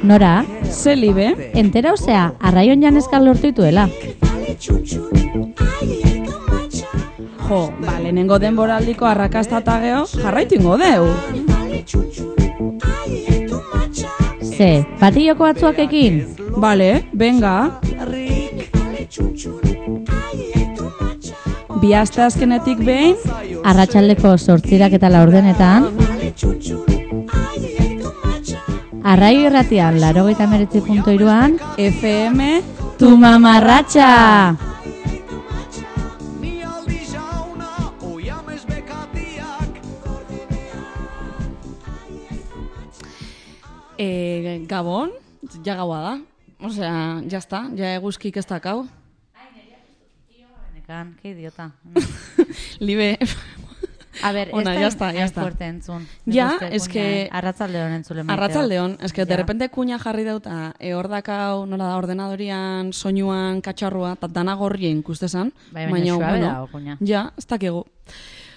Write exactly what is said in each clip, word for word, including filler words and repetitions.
Nora? Ze libe? Entera osea, arraion janezkal lortu dituela. Jo, ba, lehenengo denboraldiko arrakasta eta geho, jarraitu ingo deu. Ze, batilloko batzuak ekin? Bale, venga. Bi aste azkenetik behin, Arratsaldeko zortzirak eta laurdenetan, Arraio irratian, laurogeita hemeretzi puntu hiruan, F M, tu mamarratxa! eh, Gabon, ja gaua da. Osea, ya está, ja eguzkik ez dakau. Nekan, que idiota. Libe, A ver, Ona, ez ya está, ya hain está. fuerte entzun. Ja, Nik uste es que- kuña Arratsaldeon entzule maiteo. arratsaldeon, eske Ja. de repente kuña jarri dauta, e hor dakau, nola da, ordenadorian, soinuan, katxarrua, eta dana gorrien ikustezan. Bai, baina suabe dago, kuña. Ja, ez dakigu.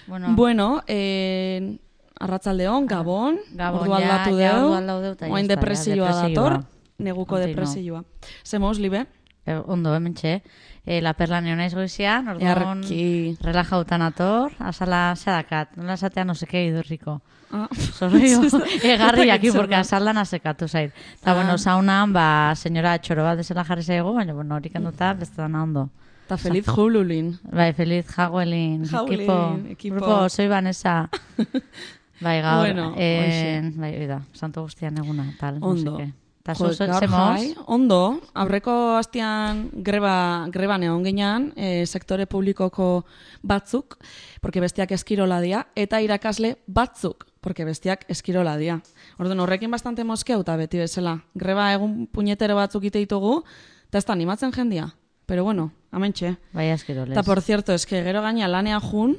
Bueno, Bueno, eh, arratsaldeon, Gabon, Gabon, ordu ja, aldatu ja, deu, ordu aldatu deu, eta ya oain está, ja, depresioa depresioa. dator, neguko Continua. depresioa. Zemoz, Libe? eh, ondo hementxe. Eh, la perla nio naiz goizian, orduan Earki. relajautan ator, azala sedakat, nola esatea no seke idurriko. Ah. Zorrio, egarriak Ez dakit porque zer da. azaldan asekatu zait. Eta, Ah. bueno, saunan, ba, senyora txoro bat desela jarri zaigu, baina, bueno, horik enduta, beste dana ondo. Eta feliz jululin. Bai, feliz jauelin, Jauelin, equipo, equipo. grupo, soy Vanessa. Bai, gaur, Bueno, eh, hoxe. bai, oida, santo guztian eguna, tal, Ondo. no seke. Eta Jo, zu, gaur zemoz? jai, ondo, aurreko astean greba, greban egon ginean, e, sektore publikoko batzuk, porque bestiak eskirola dia, eta irakasle batzuk, porque bestiak eskirola dia. Orduan, horrekin bastante moskeu eta beti bezala. Greba egun puñetero batzuk ite ditugu, eta ez da animatzen jendia. Pero bueno, amentxe. Bai, askiroles. Eta, por cierto, eske gero gaina lanea jun,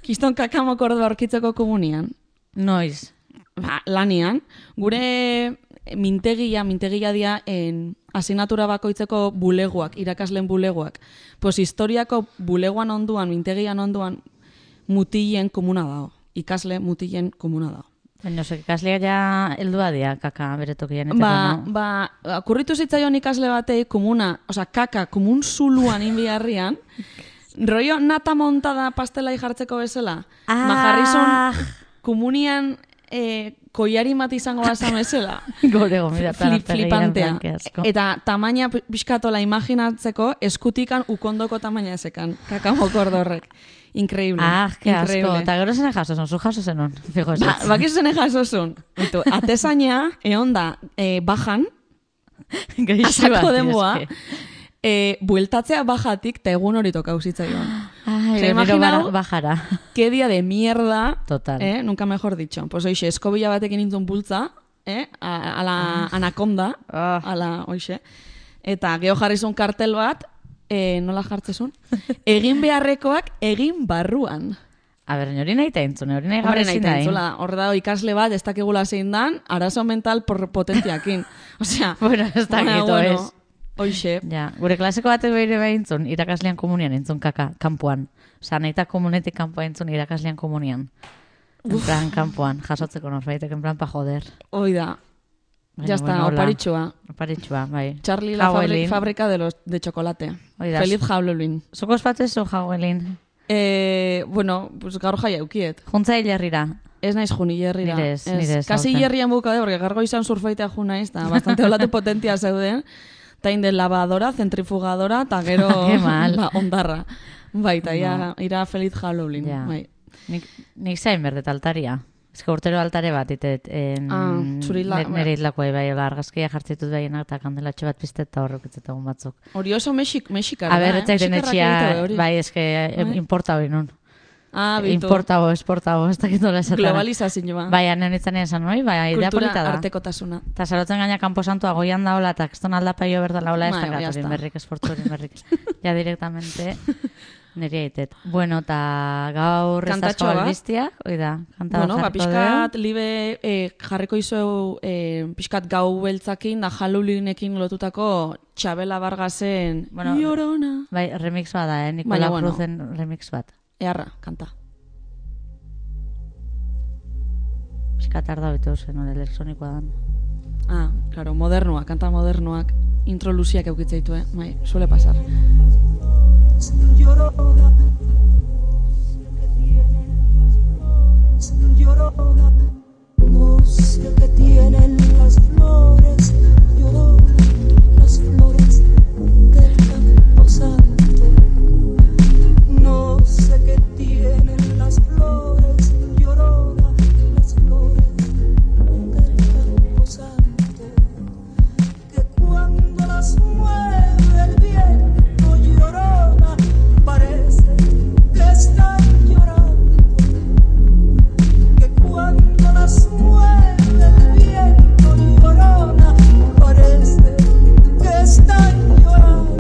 kiston kakamoko ordu aurkitzeko komunian. Noiz. Ba, lanian, gure mintegia, mintegia dia en asignatura bakoitzeko bulegoak, irakasleen bulegoak. Pues historiako bulegoan onduan, mintegian onduan, mutilen komuna dago. Ikasle mutilen komuna dago. Baina, osek, ikasleak ja heldua dia, kaka, bere tokian eteko, Ba, no? ba, akurritu zitzaion ikasle batei komuna, oza, kaka, komun zuluan inbiarrian, rollo nata montada pastelai jartzeko bezala. Ah. Ma jarrizun komunian eh, koiari bat izango basan bezala. Gore gomida, Flip, flipantea. Eta tamaina pixkatola imaginatzeko eskutikan ukondoko tamaina ezekan. Kakamoko horrek. Increíble. Ah, que asko. Increíble. Eta gero zene jaso zon, zu jaso zenon. Fijo ez. Ba, bakizu zene jasozun. Itu, atezaina, egon da, eh, bajan, asako denboa, eh, bueltatzea bajatik, eta egun hori toka usitzaion. Ai, Osea, gero imaginau- bajara. Qué día de mierda. Total. Eh? Nunca mejor dicho. Pues oixe, eskobila batekin nintzen bultza, eh? A, a la anaconda, Ah. a la, oixe. Eta geho jarrizun kartel bat, eh, nola jartzezun? Egin beharrekoak egin barruan. A ber, hori nahi ta entzune, hori nahi Hombre, gabe nahi ezin da, tentzula, hor da ikasle bat, ez dakigula zein dan, arazo mental por potentiakin. Osea, Bueno, ez dakit, bueno, ez. Oixe. Ja, gure klaseko batek behire behintzun, irakaslean komunian entzun kaka, kanpoan. Osa, nahi eta komunetik kanpoa entzun irakaslean komunian. En plan, kanpoan, jasotzeko norbaitek, en plan, pa joder. Hoi da. Baina, Ya está, bueno, hola. oparitxua. Oparitxua, bai. Charlie la fabri Jauelin. fábrica de los de chocolate. Hoi da. Feliz Halloween. Zuko ospatez zu jauelin. Eh, bueno, pues gaur jaia eukiet. Juntza hilerrira. Ez naiz jun hilerrira. Nire ez, nire ez, Kasi aurten. hilerrian bukade, porque gargo izan surfaitea jun naiz, eta bastante olatu potentia zeuden. Ta inde lavadora, centrifugadora, eta gero Ke mal. ba, ondarra. Bai, eta ia, ira Feliz Halloween. Ja. Bai. Nik, nik zain berdet altaria. Ez que urtero altare bat, itet, en, Ah, zuri la- nire itlakoa, bai, ola, argazkia jartzitut behienak, eta kandelatxo bat piztet eta horrek egun batzuk. Hori oso mexik, mexikara, A ber, eh? etzaiten Mexikarrak etxia, egite hori. bai, eske Bai. importa hori nun. Ah, bitu. Importabo, esportabo, ez dakit nola esatara. Globalizazioa. Bai, anen itzan esan hori, bai, idea Kultura polita da. artekotasuna. Eta zarotzen gaina kanposantua goian daola, eta kriston aldapaio berdala hola, ez Bai, dakat ya hori está. berrik, esportu hori berrik. Ja, directamente, niri aitet. Bueno, eta gaur ez Kantatxo asko bat. albiztia, hoi da, kanta Bueno, bat ba, jarriko pixkat, dugu. libe eh, jarriko izu eh, pixkat gau beltzakin da Halloweenekin lotutako Txabela Vargasen Bueno, Llorona. Bai, remix bat da, eh? Baina, Nikola bueno. Cruzen remix bat. Earra, kanta. Piskat arda betu zen, hori elektronikoa dan. Ah, claro, modernoak, kanta modernoak, intro luziak eukitzeitu, eh? Bai, suele pasar. Llorona, que tienen las flores, llorona, no sé qué tienen las flores, llorona, las flores del campo santo, no sé qué tienen las flores, llorona, las flores del campo santo, que cuando las mueve el viento, llorona, parece que están llorando, que cuando las mueve el viento, llorona, parece que están llorando.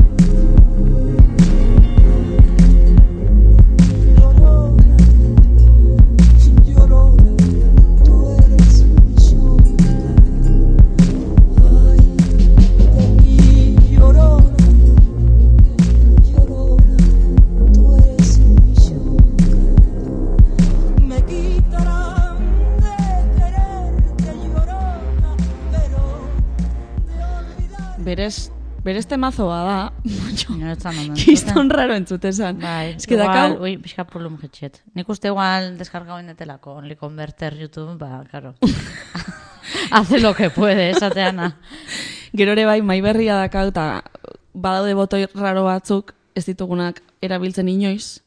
Llorona, llorona, tú eres mi llorona. Ay, de mí, llorona, llorona, tú eres mi llorona. Me quitarán de quererte, llorona, pero de olvidar. Berez, berez temazoa da, No, ez zan ondo kiston entzuten. raro entzutesan. Bai, Ez que igual, dakau, ui, pixka pulum jetxet. Nik uste igual deskargau indetelako, only converter YouTube, ba, claro. Hace lo que puede, esateana. gero ere bai, mai berria dakau, eta badaude botoi raro batzuk, ez ditugunak erabiltzen inoiz,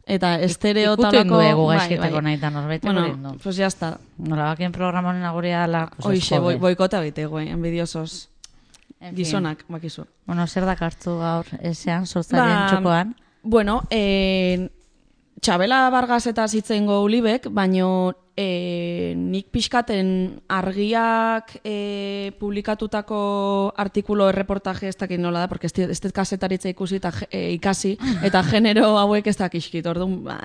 eta estereo Ikutu talako... induegu bai, gaizkiteko bai. nahi eta norbait egin Bueno, du. pues ya está. Nola bakien programa honen aguria ala, pues Hoixe, ez boi, jode. boikota bitego, eh, envidiosos. En fin. Gizonak, bakizu. Bueno, zer dakartzu gaur, ezean, sortzarien Ba, txokoan? Bueno, eh, Txabela Vargas eta zitzeingo ulibek, baino eh, nik pixkaten argiak eh, publikatutako artikulo erreportaje ez dakit nola da, porque ez dit- ez dut kasetaritza ikusi eta eh, ikasi, eta genero hauek ez dakizkit, orduan, ba,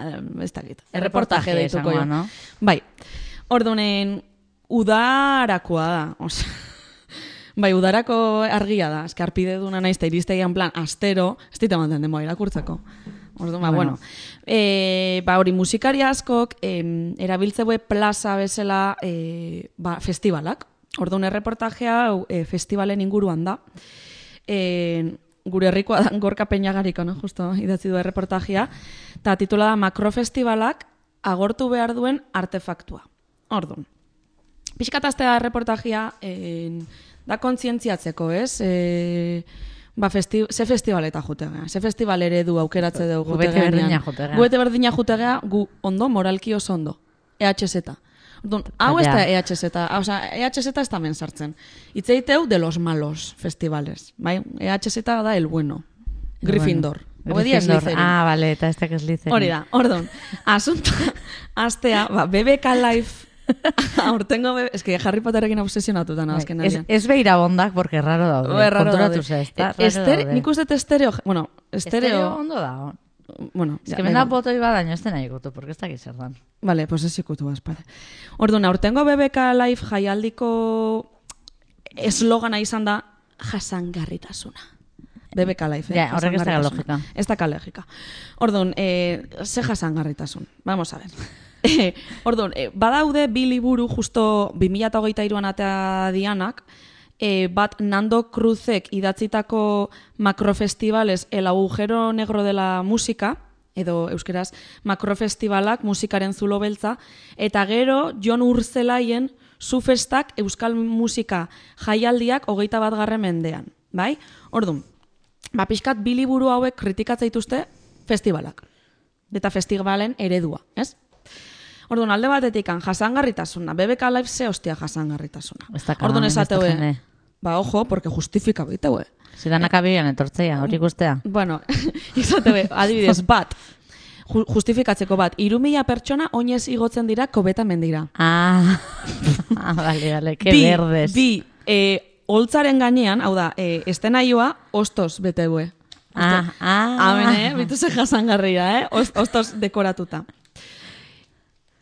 ez dakit. Erreportaje deituko esangoa, jo. no? Bai, ordunen udarakoa da, osea. Bai, udarako argia da, eske arpide duna naiz eta iristegian plan astero, ez dit ematen denboa irakurtzeko. Orduan, ba, Bueno. bueno. E, ba, hori musikari askok em, erabiltzeue plaza bezala e, ba, festivalak. Orduan, erreportajea hau, e, festivalen inguruan da. E, gure herrikoa da Gorka Peñagariko, no? Justo idatzi du erreportajea. Eta titula da Makrofestivalak agortu behar duen artefaktua. Orduan, pixkataztea erreportajea en, da kontzientziatzeko, ez? E, ba, festi ze festivaleta jutegea, ze festival eredu aukeratze dugu Gu bete jutegean. berdina jutegea. Gu bete berdina jutegea, gu ondo, moralki oso ondo. E H Z. Orduan, hau ez da Ja. E H Z, o sea, E H Z ez da men sartzen. Itzeiteu de los malos festivales, bai? E H Z da el bueno. Gryffindor. Bueno, Hau dia Gryffindor. Slytherin. Ah, vale, eta ez da Slytherin. Hori da, orduan, asunto, astea, ba, B B K Live, aurtengo, be- es que Harry Potterrekin obsesionatuta na, azken Bai, Ez, aldean. ez behira bondak, porque raro daude. Oe, raro Konturatu daude. ze, ez da? E, Raro estere- daude. nik uste dut estereo, bueno, Estereo estereo, ondo da. bueno, Ez ja, que da benda igual. botoi badaino, ez dena ikutu, porque ez dakit zer dan. Vale, pues ez ikutu bazpare. Orduan, aurtengo B B K Live jaialdiko eslogana izan da jasangarritasuna. B B K Live, eh? Ja, horrek ez da Jasangarritasuna. logika. Ez da logika. Orduan, eh, ze jasangarritasun. Vamos a ver. Eh, Orduan, eh, badaude bi liburu justo bi mila hogeita hiruan atea dianak, eh, bat Nando Cruzek idatzitako Macrofestivales el agujero negro de la música, edo euskeraz Makrofestivalak musikaren zulo beltza, eta gero Jon Urzelaien Zufestak euskal musika jaialdiak hogeita bat garren mendean, bai? Orduan, ba, pixkat bi liburu hauek kritikatzen dituzte festivalak, eta festivalen eredua, ez? Orduan, alde batetikan jasangarritasuna, B B K Live ze hostia jasangarritasuna. Ez da Orduan kaban, ez da esateue, jende. ba, ojo, porque justifika biteue. Zidanak abian etortzea, hori ikustea. Bueno, izateue, adibidez, bat, ju- justifikatzeko bat, hiru mila pertsona oinez igotzen dira kobeta mendira. Ah, ah, vale, vale, que bi, verdes. Bi, e, holtzaren gainean, hau da, e, estenaioa ostos beteue. Ah, ah. Amen, eh? Bituze jasangarria, eh? Ost, ostos dekoratuta.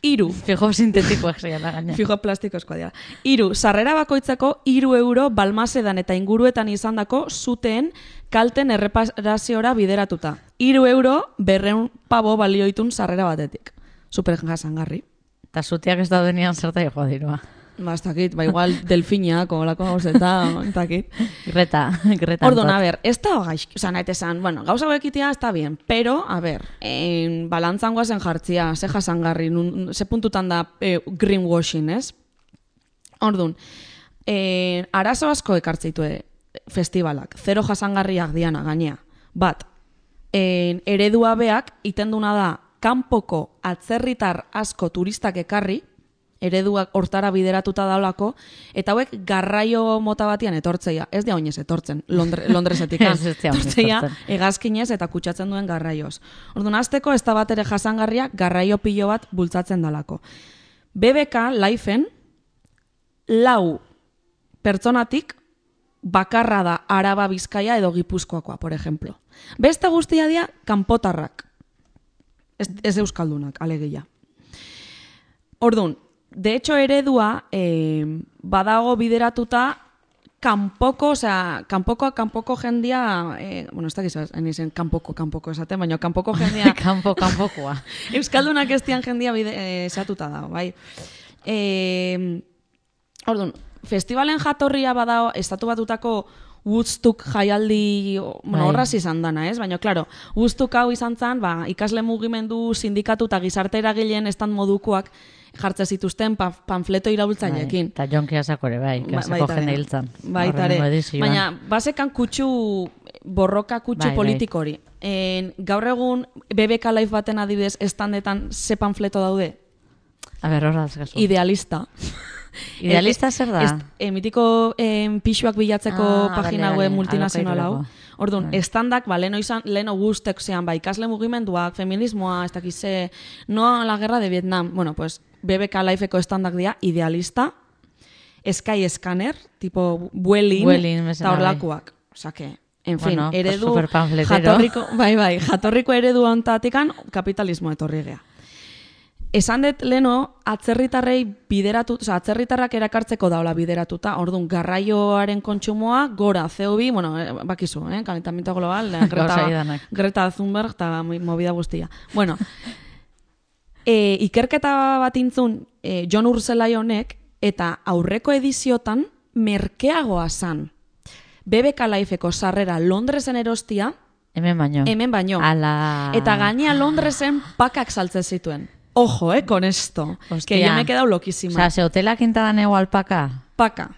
Iru, Fijo sintetikoak zeiala gaina. fijo plastikozkoa dira. Iru, sarrera bakoitzako iru euro balmasedan eta inguruetan izandako zuteen kalten erreparaziora bideratuta. Iru euro berreun pabo balioitun sarrera batetik. Super jasangarri. Eta zutiak ez daudenian zerta joa dirua. Ba, ez dakit, ba, igual delfinak, olako gauzeta, ez dakit. Greta, Greta. Orduan, a ber, ez da gaizki, oza, nahi esan, bueno, gauza hauekitia ez da bien, pero, a ber, en, balantzan guazen jartzia, ze jasangarri, nun, ze puntutan da eh, greenwashing, ez? Orduan, eh, arazo asko ekartzeitu festivalak, zero jasangarriak diana, gainea. Bat, en, eredua beak, itenduna da, kanpoko atzerritar asko turistak ekarri, ereduak hortara bideratuta daulako, eta hauek garraio mota batian etortzeia. Ez dia oinez etortzen, Londre, Londresetik. Ez ez dia oinez etortzeia etortzen. hegazkinez eta kutsatzen duen garraioz. Orduan, azteko ez da bat ere jasangarria garraio pilo bat bultzatzen dalako. B B K Lifeen lau pertsonatik bakarra da Araba, Bizkaia edo Gipuzkoakoa, por ejemplo. Beste guztia dia kanpotarrak. Ez, ez euskaldunak, alegia. Orduan, de hecho eredua eh, badago bideratuta kanpoko, osea, kanpoko, kanpoko jendia, eh, bueno, ez dakiz, enizen kanpoko, kanpoko esaten, baina kanpoko jendia... Kanpo, kanpokoa. Euskaldunak ez dian jendia bide, eh, esatuta dago, bai. Eh, orduan, festivalen jatorria badago, estatu batutako Woodstock jaialdi, bueno, horraz izan dana, ez? Baina, klaro, Woodstock hau izan zen, ba, ikasle mugimendu, sindikatu eta gizarte eragileen estan modukoak jartze zituzten pa, panfleto iraultzaileekin. Eta jonki asakore, bai, kasako jende hiltzan. Baitare. Baina, basekan kutsu, borroka kutsu bai, politiko hori. En, gaur egun, B B K Live baten adibidez, estandetan ze panfleto daude? A ber, horraz gazu. Idealista. Idealista zer da? Est, e, mitiko e, pixuak bilatzeko Ah, pagina bale, web bale, multinazional hau. alokairurako. Orduan, Bai. estandak, ba, leno izan, leno guztek zean, ba, ikasle mugimenduak, feminismoa, ez dakize, no a la guerra de Vietnam. Bueno, pues, B B K Lifeko estandak dira, idealista, Sky Scanner, tipo Vueling, Vueling, bezala, eta horlakoak. Osa que, en fin, Bueno, pues eredu, superpanfletero. jatorriko, bai, bai, jatorriko eredu ontatikan kapitalismo etorri gea. Esan dut leno, atzerritarrei bideratu, oza, atzerritarrak erakartzeko daula bideratuta, orduan, garraioaren kontsumoa, gora, C O bi, bueno, eh, bakizu, eh, kalentamiento global, eh, Gauza Greta, idanak. Greta Thunberg, eta movida guztia. Bueno, e, ikerketa bat intzun, e, John Urselai honek, eta aurreko ediziotan, merkeagoa zan. B B K Lifeko sarrera Londresen erostia, Hemen baino. hemen baino. Ala... Eta gainea Londresen pakak saltzen zituen. Ojo, eh, con esto. Hostia. Que yo me he quedado loquísima. Osa, ze hotelak intadan ego alpaka? Paka.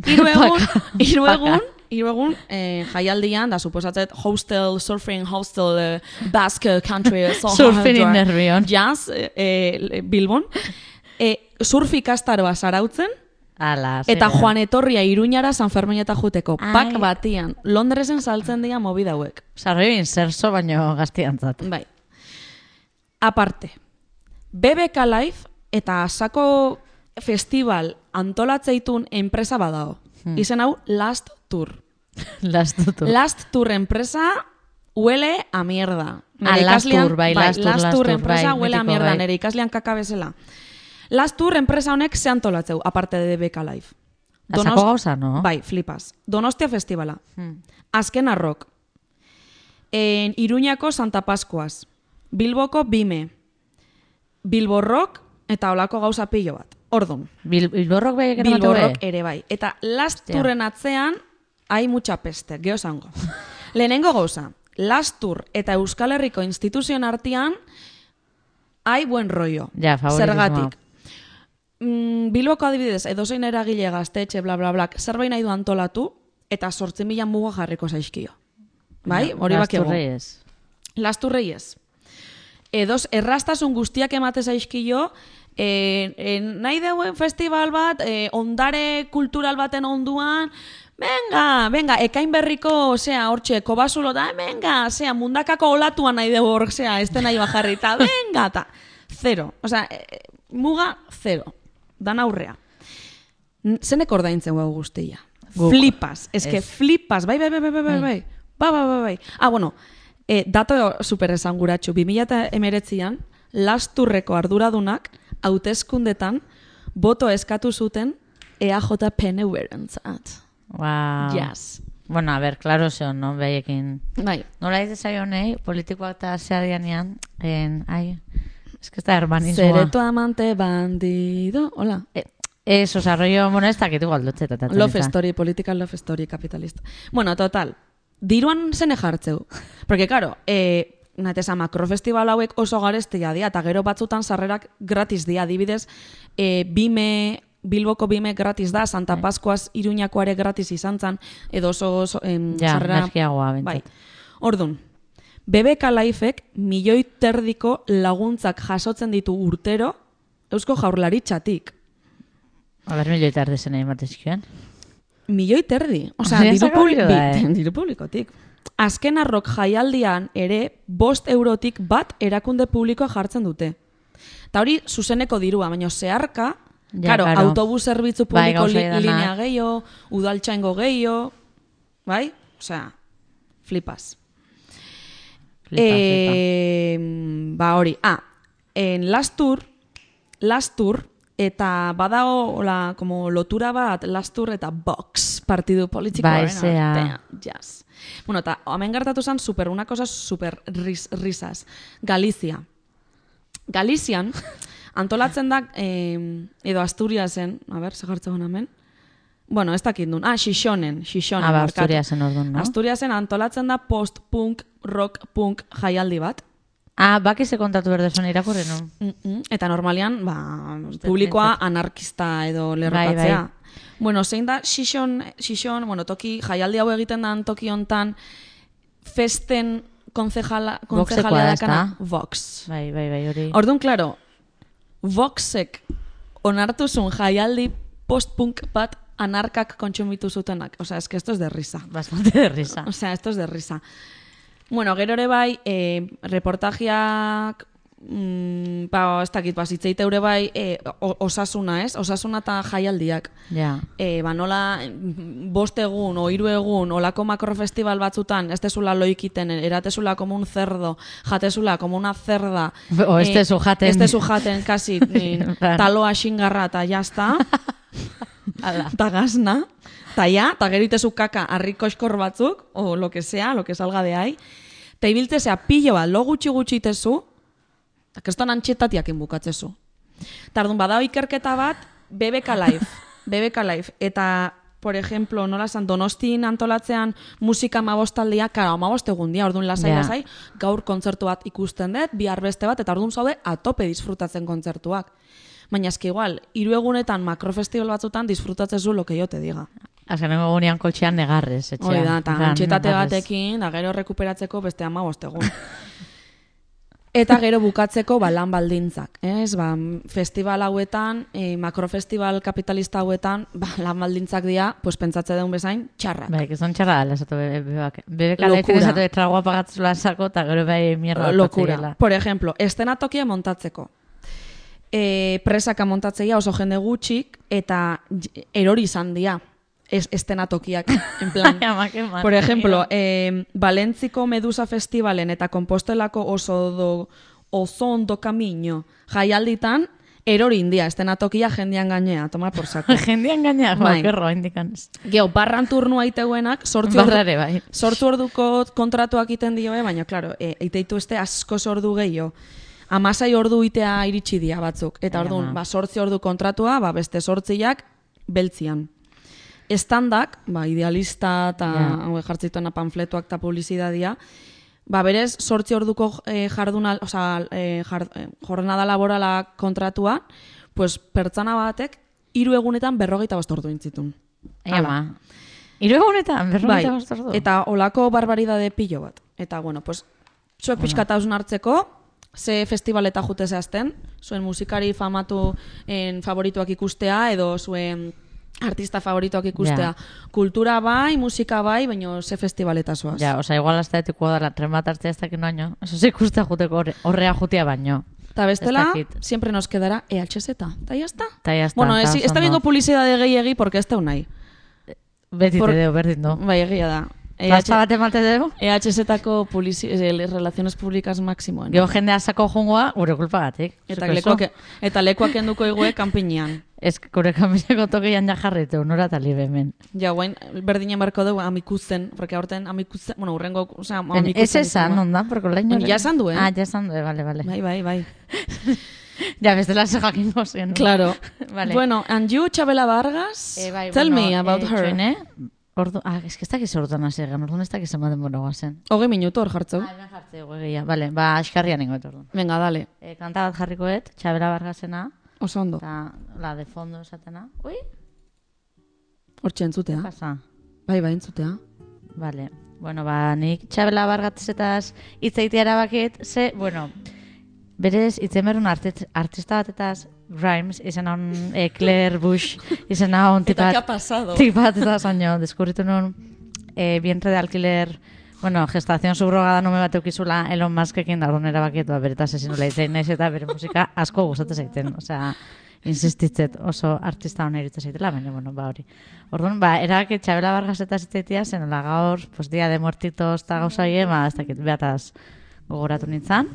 Hiru egun, Paka. hiru Paka. egun, hiru egun, eh, jaialdian, da suposatzet, hostel, surfing hostel, eh, Basque country, so Surfing in Nervion. Jazz, eh, eh, Bilbon. Eh, surf ikastaroa zarautzen, Ala, eta zera. Juan Etorria Iruñara San Fermineta juteko. Ai. Pak batian. Londresen saltzen dira movida hauek. Osa, rebin, zerzo baino gaztiantzat. Bai. Aparte, B B K Live eta asako festival antolatzeitun enpresa badao. Hmm. Izen hau Last Tour. Lastutu. Last Tour enpresa huele a mierda. Ah, Nere Last ikaslean- Tour, bai, Last Tour, Last Last Tour Tour, enpresa bai, huele a mitiko, mierda, bai. nere ikaslean kaka bezala. Last Tour enpresa honek ze antolatzeu, aparte de B B K Live. Asako gauza, no? Bai, flipas. Donostia festivala. Hmm. Azken arrok. En Iruñako Santa Pascuas. Bilboko Bime. Bilbo Rock eta olako gauza pilo bat. Ordun. Bil, Bilborrok bai egin Bilbo emate Rock ere bai. Eta Last Hostia. Tourren atzean, hai mucha peste, geho zango. Lehenengo gauza, Last Tour eta Euskal Herriko instituzioen artean, hai buen rollo. Ja, favoritismoa. Zergatik. Mm, Bilboko adibidez, edozein eragile gaztetxe, bla, bla, bla, zerbait nahi du antolatu, eta sortzen mila muga jarriko zaizkio. Bai, hori bakego. Lasturreiez. Lasturreiez. Edoz, errastasun guztiak emate zaizkio, e, e, nahi deuen festival bat, e, ondare kultural baten onduan, venga, venga, ekain berriko, osea, hortxe, kobasulo da, venga, osea, mundakako olatuan nahi dugu hor, osea, ez nahi bajarrita, venga, ta, zero. Osea, e, muga, zero. Dan aurrea. N- Zenek ordaintzen guau guztia. Guk. Flipas. Ez que Ez. flipas. Bai, bai, bai, bai, bai, bai, bai. Bai, bai, bai, bai. Ah, bueno, eh, dato super esanguratsu. bi mila hemeretzian, Lasturreko arduradunak, hauteskundetan, boto eskatu zuten E A J P N U-erentzat. Wow. Yes. Bueno, a ver, claro zeon, no? Beiekin. Bai. Nola ez zaionei, politikoak eta zeadianean, en, ai, es que ez da hermanismoa. Zereto amante bandido. Hola. E, Ez, oza, rollo, bueno, ez dakit igual dutxeta. Love story, political love story, capitalista. Bueno, total, diruan zene jartzeu. Porque, claro, eh, natesa makrofestival hauek oso garestia dia, eta gero batzutan sarrerak gratis dia, adibidez, eh, bime... Bilboko bime gratis da, Santa Pascuas Iruñakoare gratis izan zan, edo oso, oso em, Ja, sarrera... merkiagoa, bentsat. Bai. Ordun, B B K Lifek milioi terdiko laguntzak jasotzen ditu urtero Eusko Jaurlaritzatik. A ber, milioi tarde zen egin batezkioen. Milioi terdi. Osea, Osea, diru, saka publi hori da, bi- eh? diru publikotik. Azken arrok jaialdian ere bost eurotik bat erakunde publikoa jartzen dute. Eta hori zuzeneko dirua, baina zeharka, Ja, claro, claro. autobus zerbitzu Bai, publiko gauza li, edanak. linea gehiago, udaltzaingo gehiago, bai? Osea, flipas. Flipa, Eh, ba hori, ah, en Lastur, Lastur, eta badao, hola, como lotura bat, Lastur eta Vox, partidu politikoaren Bai, zea. artean, yes. Bueno, eta hemen gertatu zen super, una cosa super ris, risas. Galizia. Galizian, antolatzen da, eh, edo Asturiasen, a ber, segartzen hemen, bueno, ez dakit duen, ah, Xixonen, Xixonen. Ah, ba, barkatu. Asturiasen orduan, no? Asturiasen antolatzen da post-punk, rock-punk jaialdi bat. Ah, baki ze kontatu berdezun irakurri, no? Mm -mm. Eta normalian, ba, publikoa anarkista edo lerrokatzea. Bai, Bueno, zein da Xixon, Xixon, bueno, toki jaialdi hau egiten da toki hontan festen konzejala, Voxekoa konzejalea da, dakana ezta? Vox. Bai, bai, bai, hori. Orduan, claro, Voxek onartu zuen jaialdi post-punk bat anarkak kontsumitu zutenak. O sea, es que esto es de risa. Bastante de risa. O sea, esto es de risa. Bueno, gero ere bai, eh, reportajiak, mm, ba, ez dakit, ba, zitzeite eure bai, eh, o- osasuna, ez? Osasuna eta jaialdiak. Ja. Eh, ba, nola, mm, bost egun, o hiru egun, olako makrofestival batzutan, ez tezula loikiten, eratezula como un cerdo, jatezula como una cerda. O ez tezu jaten. Ez tezu jaten, kasi, eh, En plan. taloa xingarra eta jazta. Ala. Eta gazna, eta ja, eta gero itezu kaka harriko eskor batzuk, o lo que sea, lo que salga de ahí, eta ibiltzezea pilo bat, lo gutxi gutxi itezu, eta keston antxetatiak inbukatzezu. Eta orduan badao ikerketa bat, B B K Live, B B K Live, eta, por ejemplo, nola esan, Donostin antolatzean musika amabostaldia, karo, amabost egun dia, orduan lasai, Ja. lasai, gaur kontzertu bat ikusten dut, bihar beste bat, eta orduan zaude atope disfrutatzen kontzertuak. Baina eski igual, hiru egunetan makrofestival batzutan disfrutatzezu lo que yo te diga. Azkenengo egunean kotxean negarrez, etxean. Hori da, eta En plan, antxetate negarrez. batekin, da gero rekuperatzeko beste hamabost egun. Eta gero bukatzeko ba, lan baldintzak. Ez? Ba, festival hauetan, e, makrofestival kapitalista hauetan, ba, lan baldintzak dira, pues, pentsatze deun bezain, txarrak. Bai, que son txarra dela, esatu bebek. Bebek Locura. alaitzen esatu de tragua pagatzula sako, eta gero bai mierda Locura. batzatzeiela. Por ejemplo, estenatokia montatzeko. E, presaka montatzeia oso jende gutxik, eta j- erori izan dira es, estenatokiak. En plan, Ai, ama, que mal. por ejemplo, eh, Valentziko Medusa Festivalen eta Kompostelako oso do, oso ondo kamino jaialditan, erori india, estenatokia jendean gainea, tomar por saco. Jendean gainak, Bai. bakerro, indikan. Geo, barran turnua iteuenak, sortzi ordu, Barrare, bai. sortzi orduko kontratuak iten dioe, baina, klaro, e, iteitu este asko ordu gehiago. Amasai ordu itea iritsi dia batzuk. Eta Ai, orduan, ama. ba, sortzi ordu kontratua, ba, beste sortziak beltzian. Estandak, ba, idealista eta Ja. hau jartzituena panfletuak eta publizidadia, ba, berez, sortzi orduko eh, jarduna, oza, eh, jar, eh, jornada laborala kontratua, pues, pertsona batek, hiru egunetan berrogeita bost ordu intzitun. Ai, Hala. ama. Hiru egunetan, berrogeita bost ordu. Bai, eta olako barbaridade pilo bat. Eta, bueno, pues, zuek pixkat hausn hartzeko, ze festivaleta jute zehazten, zuen musikari famatu en favorituak ikustea, edo zuen artista favorituak ikustea. Ja. Kultura bai, musika bai, baina ze festivaleta zoaz. Ja, oza, igual hasta etiko dara, tren bat hartzea ez dakit noaino. Eso se ikustea juteko horre- horrea jutea baino. Eta bestela, Ez dakit. siempre nos quedará E H Z. Eta ya está. Ta ya está, Bueno, ta ez, oso ez da ondo. bingo publicidade gehiegi, porque ez teu nahi. Beti Por- te deo, berdin do. Bai, egia da. Pasta bat emate deu? E H Z-ko publici- eh, relaciones públicas máximoen. Gero jendea sako jungoa, gure kulpagatik. Eta Zuko lekuak, eso. eta lekuak enduko igue kanpinean. Ez, gure kamineko tokian ja jarritu, nora tali bemen. Ja, guain, berdinen barko dugu amikuzen, porque aurten amikuzen, bueno, urrengo, osea, Ez esan, onda, porque laino... Ja esan du, eh? Ah, ja esan du, eh, vale, vale. Bai, bai, bai. Ja, bestela ze jakingo zen. Claro. Vale. Bueno, and you, Chabela Vargas, Eh, bai, tell bueno, me about eh, her. Txoine, ordu, ah, eski ez dakiz orduan hasi egan, orduan ez dakiz ematen bona guazen. Hogei minutu hor jartzeu. Ah, hemen jartze guegia, bale, ba, askarrian ingo orduan. Venga, dale. E, kanta bat jarrikoet, Txabela Vargasena, Oso ondo. eta la de fondo esatena. Ui, Hortxe entzutea. pasa. Bai, bai, entzutea. Vale, bueno, ba, nik Txabela Vargasetaz hitz egitea erabakit, ze, bueno, berez hitzen berun artist, artista batetaz, Grimes, izena hon, eh, Claire Bush, izena hon Eta, tipat, ¿qué ha pasado? tipat eta zaino, deskurritu nun, eh, vientre de alquiler, bueno, gestación subrogada nume bat eukizula Elon Muskekin, da orduan erabakit, ba, beretaz ezin nula hitzein naiz eta bere musika asko gustatzen zaiten, osea, insistitzet oso artista hona irutzen zaitela, baina, bueno, ba, hori. Orduan, ba, erabakit Txabela Vargasetaz hitzeitia, zen, hola, gaur, pues, dia de muertitos eta gauza hie, ba, ez dakit, behataz gogoratu nintzen.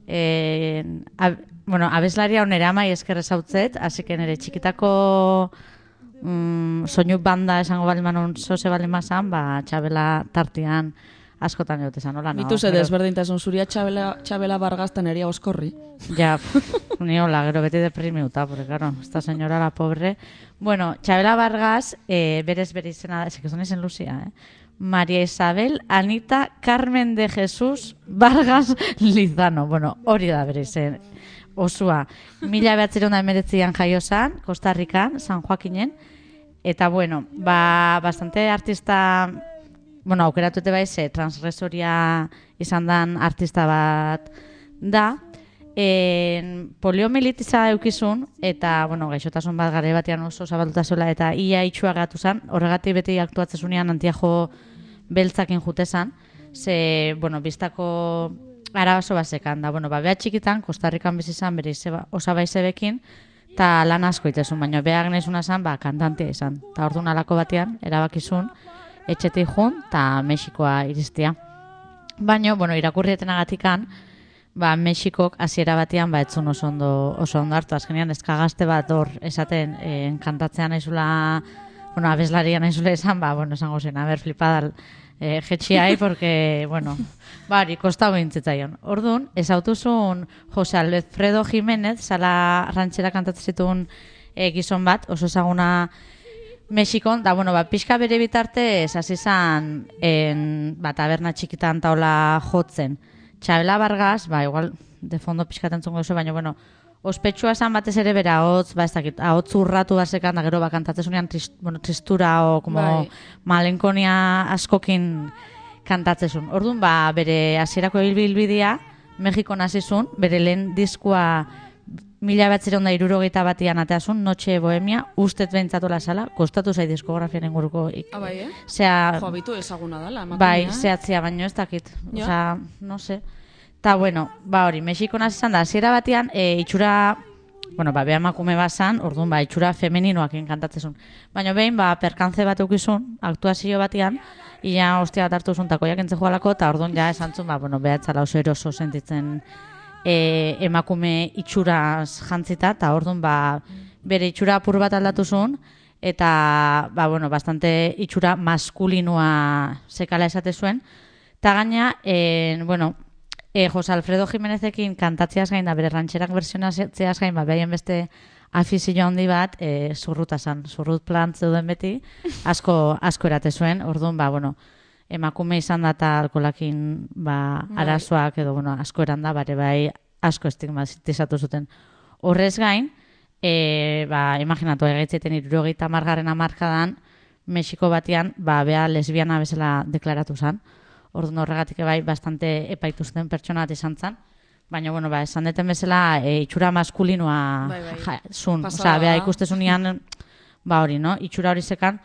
Eh, ab, bueno, abeslaria onera amai esker ezautzet, así que nire txikitako mm, soinu banda esango balimanon zoze balimazan, ba, Txabela tartian askotan jote zan, hola, no? Bitu ze Gero- desberdintasun zuria Txabela, Txabela Vargas teneria oskorri. Ja, pff, ni hola, gero beti deprimiuta, porque claro, esta señora la pobre. Bueno, Txabela Vargas, eh, berez bere izena, es que son izen Lucia, eh? María Isabel Anita Carmen de Jesús Vargas Lizano. Bueno, hori da bere izen osua. Mila behatzireun da emeretzian jaio zan, Costa Rican, San Joaquinen. Eta bueno, ba, bastante artista, bueno, aukeratute baize, transgresoria izan dan artista bat da. En, poliomielitiza eukizun, eta, bueno, gaixotasun bat gare batean oso zabalduta zuela, eta ia itxua gatu zan, horregatik beti aktuatzezunean antiajo beltzakin jute zan, ze, bueno, biztako arabaso basekan, da, bueno, ba, beha txikitan, Costa Rican bizi zan, bere izeba, osabai zebekin, eta lan asko itezun, baina beha gnezuna zan, ba, kantantea izan, eta orduan alako batean, erabakizun, etxetik jun, eta Mexikoa iristia. Baina, bueno, irakurrietenagatikan, ba, Mexikok hasiera batean ba etzun oso ondo oso ondo hartu. Azkenean eskagazte bat hor esaten eh, kantatzea naizula, bueno, abeslaria naizula esan, ba, bueno, esango zen, a ber, flipada eh, jetxiai, porque, bueno, bari, kostau gintzitzaion. Orduan, ez autuzun Jose Alfredo Jiménez, sala rantxera kantatzen zituen eh, gizon bat, oso ezaguna Mexikon, da, bueno, ba, pixka bere bitarte hasi zan en, ba, taberna txikitan taula jotzen. Txabela Vargas, ba, igual, de fondo pixkaten zungo duzu, baina, bueno, ospetsua esan batez ere bera hotz, ba, ez dakit, ahotz urratu basekan, da gero, ba, kantatzezunean trist, bueno, tristura o, como, Bai. malenkonia askokin kantatzezun. Orduan, ba, bere hasierako ibilbidea, Mexikon hasizun, bere lehen diskua mila batzireun da irurogeita batian ateazun, Noche Bohemia, ustet behintzatola sala, kostatu zai diskografian inguruko. Ik, Ah, bai, eh? Zea, Jo, bitu ezaguna dela, emakumea. bai, zehatzia, baino ez dakit. Ja. Osea, no sé. Ta bueno, ba hori, Mexikon hasi izan da, hasiera batean, e, itxura, bueno, ba, beha emakume bazan, orduan, ba, itxura femeninoakin kantatzezun. Baina behin, ba, perkantze bat eukizun, aktuazio batean, ia ostia bat hartu zun, takoiak entze joalako, eta orduan ja esantzun, ba, bueno, beha etzala oso eroso sentitzen e, emakume itxuraz jantzita, eta orduan, ba, bere itxura apur bat aldatu zuen, eta, ba, bueno, bastante itxura maskulinua sekala esate zuen, eta gaina, en, bueno, e, Jose Alfredo Jiménezekin kantatziaz gain, da bere rantxerak versionatzeaz gain, ba, behaien beste afizio handi bat, e, zurruta zan, zurrut plant zeuden beti, asko, asko erate zuen, orduan, ba, bueno, emakume izan da eta alkolakin, ba, Bai. arazoak edo, bueno, asko eran da, bare bai, asko estigmatizatu zuten. Horrez gain, e, ba, imaginatu, egaitzeten irurogeita margarren amarkadan, Mexiko batean, ba, bea lesbiana bezala deklaratu zan. Orduan horregatik bai, bastante epaituzten pertsona bat izan zan. Baina, bueno, ba, esan deten bezala, e, itxura maskulinoa Bai, bai. ja, zun. Pasada Osea, bea da. ikustezunean, ba hori, no? Itxura hori zekan.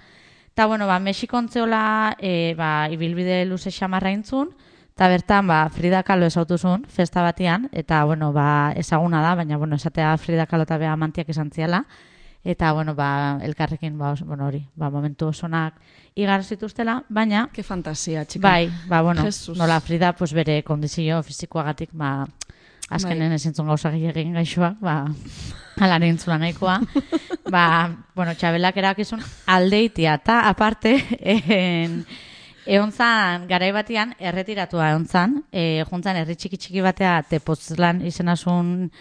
Eta, bueno, ba, Mexikon zeola, e, ba, ibilbide luze xamarra intzun, eta bertan, ba, Frida Kahlo esautuzun, festa batean, eta, bueno, ba, ezaguna da, baina, bueno, esatea Frida Kahlo eta bea amantiak esan ziala, eta, bueno, ba, elkarrekin, ba, os- bueno, hori, ba, momentu osonak igar zituztela, baina, Ke fantasia, txika. bai, ba, bueno, Jesus. nola Frida, pues, bere kondizio fizikoagatik, ba, azkenen Bai. ezintzun gauza egin gaixoak, ba, ala nintzula nahikoa. Ba, bueno, Txabelak erakizun aldeitia, eta aparte, en, egon zan, garai batean, erretiratua egon zan, e, juntzan herri txiki txiki batea, Tepoztlan izenasun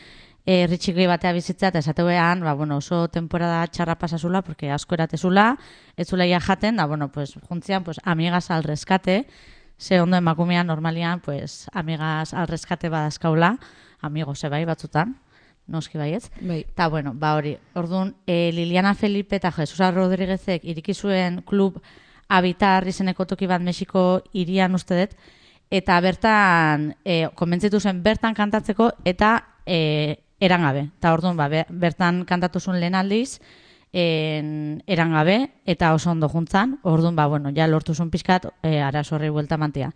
eh, herri txiki batea bizitza, eta esateuean, ba, bueno, oso temporada txarra pasazula, porque asko eratezula, ez zula ia jaten, da, bueno, pues, juntzian, pues, amigas al rescate, ze ondo emakumean normalian, pues, amigas al rescate badazkaula, amigos, bai, batzutan, noski baietz. Bai. Ta, bueno, ba hori, orduan, e, Liliana Felipe eta Jesusa Rodriguezek iriki zuen klub Habitar izeneko toki bat Mexiko hirian uste dut, eta bertan, e, konbentzitu zen bertan kantatzeko, eta e, erangabe. Eta orduan, ba, bertan kantatu zuen lehen aldiz, en, erangabe, eta oso ondo juntzan, orduan, ba, bueno, ja lortu zuen pixkat, e, arazo horri buelta mantia.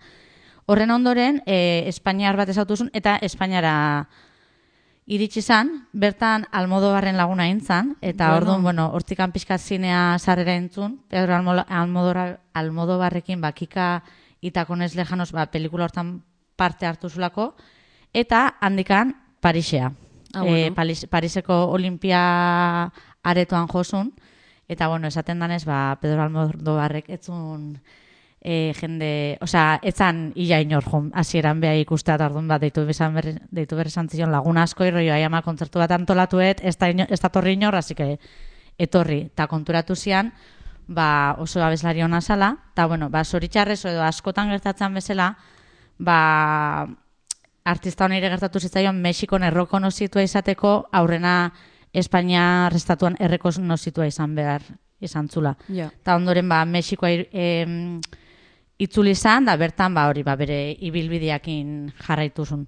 Horren ondoren, e, Espainiar bat ezautu zuen, eta Espainiara iritsi zan, bertan Almodobarren laguna intzan, eta Bueno. orduan, bueno, hortikan pixkat zinea sarrera entzun, Pedro Almo- Almodora- Almodobarrekin, ba, Kika Itakones Lejanos, ba, pelikula hortan parte hartu zulako, eta handikan Parisea. Ah, bueno. Eh, Paris, Pariseko Olimpia aretoan josun, eta, bueno, esaten danez, ba, Pedro Almodobarrek etzun e, jende, osea, etzan ia inor jun, hasieran beha ikustea tardun bat, deitu bezan berri, deitu berri zantzion laguna asko irroio, ahi ama kontzertu bat antolatuet, ez da, ino, ez da torri inor, hasi que etorri, eta konturatu zian, ba, oso abeslari hona zala, eta, bueno, ba, zoritxarrez edo askotan gertatzen bezala, ba, artista honire gertatu zitzaion Mexikon errekonozitua izateko, aurrena Espainia restatuan errekonozitua izan behar izan zula. Ja. Eta ondoren, ba, Mexikoa ir, em, itzuli izan, da bertan, ba, hori, ba, bere ibilbideakin jarraituzun.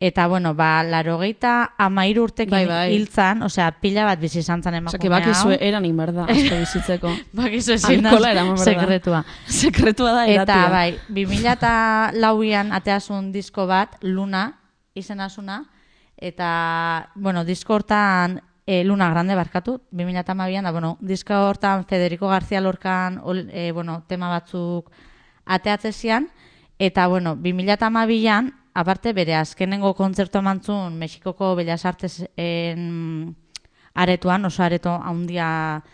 Eta, bueno, ba, larogeita amairu urtekin Bai, bai. hiltzan, osea, pila bat bizi izan zan Osa, emakume que bakizue eranik berda, asko bizitzeko. Bakizu ezin da Alkohola eraman behar da. sekretua. Sekretua da Eta, eratua. bai, bi mila eta lauian ateasun disko bat, Luna, izenazuna, eta, bueno, disko hortan, e, Luna Grande barkatu, bi mila eta hamabian, da, bueno, disko hortan Federico García Lorcan, ol, e, bueno, tema batzuk ateatzezian, eta, bueno, bi mila eta hamabian, aparte, bere azkenengo kontzertu emantzun Mexikoko Bellas Artes en, aretuan, oso areto handia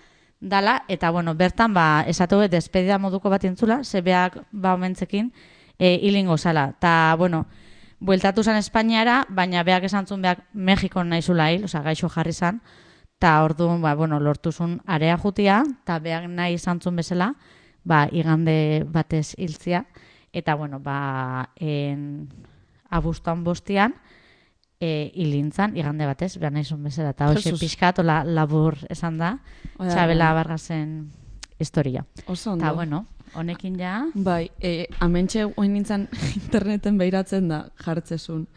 dala, eta, bueno, bertan, ba, esatu despedida moduko bat intzula, zebeak, ba, omentzekin, e, hilingo zala. Ta, bueno, bueltatu zen Espainiara, baina beak esan zuen beak Mexikon naizula hil, oza, gaixo jarri zan, eta orduan, ba, bueno, lortu zuen area jutia, eta beak nahi izan zuen bezala, ba, igande batez hiltzia, eta, bueno, ba, en, abuztuan bostian, e, hilintzan, igande batez, behar nahi zuen bezala, eta hoxe Jesus. pixkat, ola labur esan da, Oida, Txabela bai. Bargasen historia. Oso ondo. Eta, bueno, honekin ja... Bai, e, amentxe oin nintzen interneten behiratzen da jartzezun.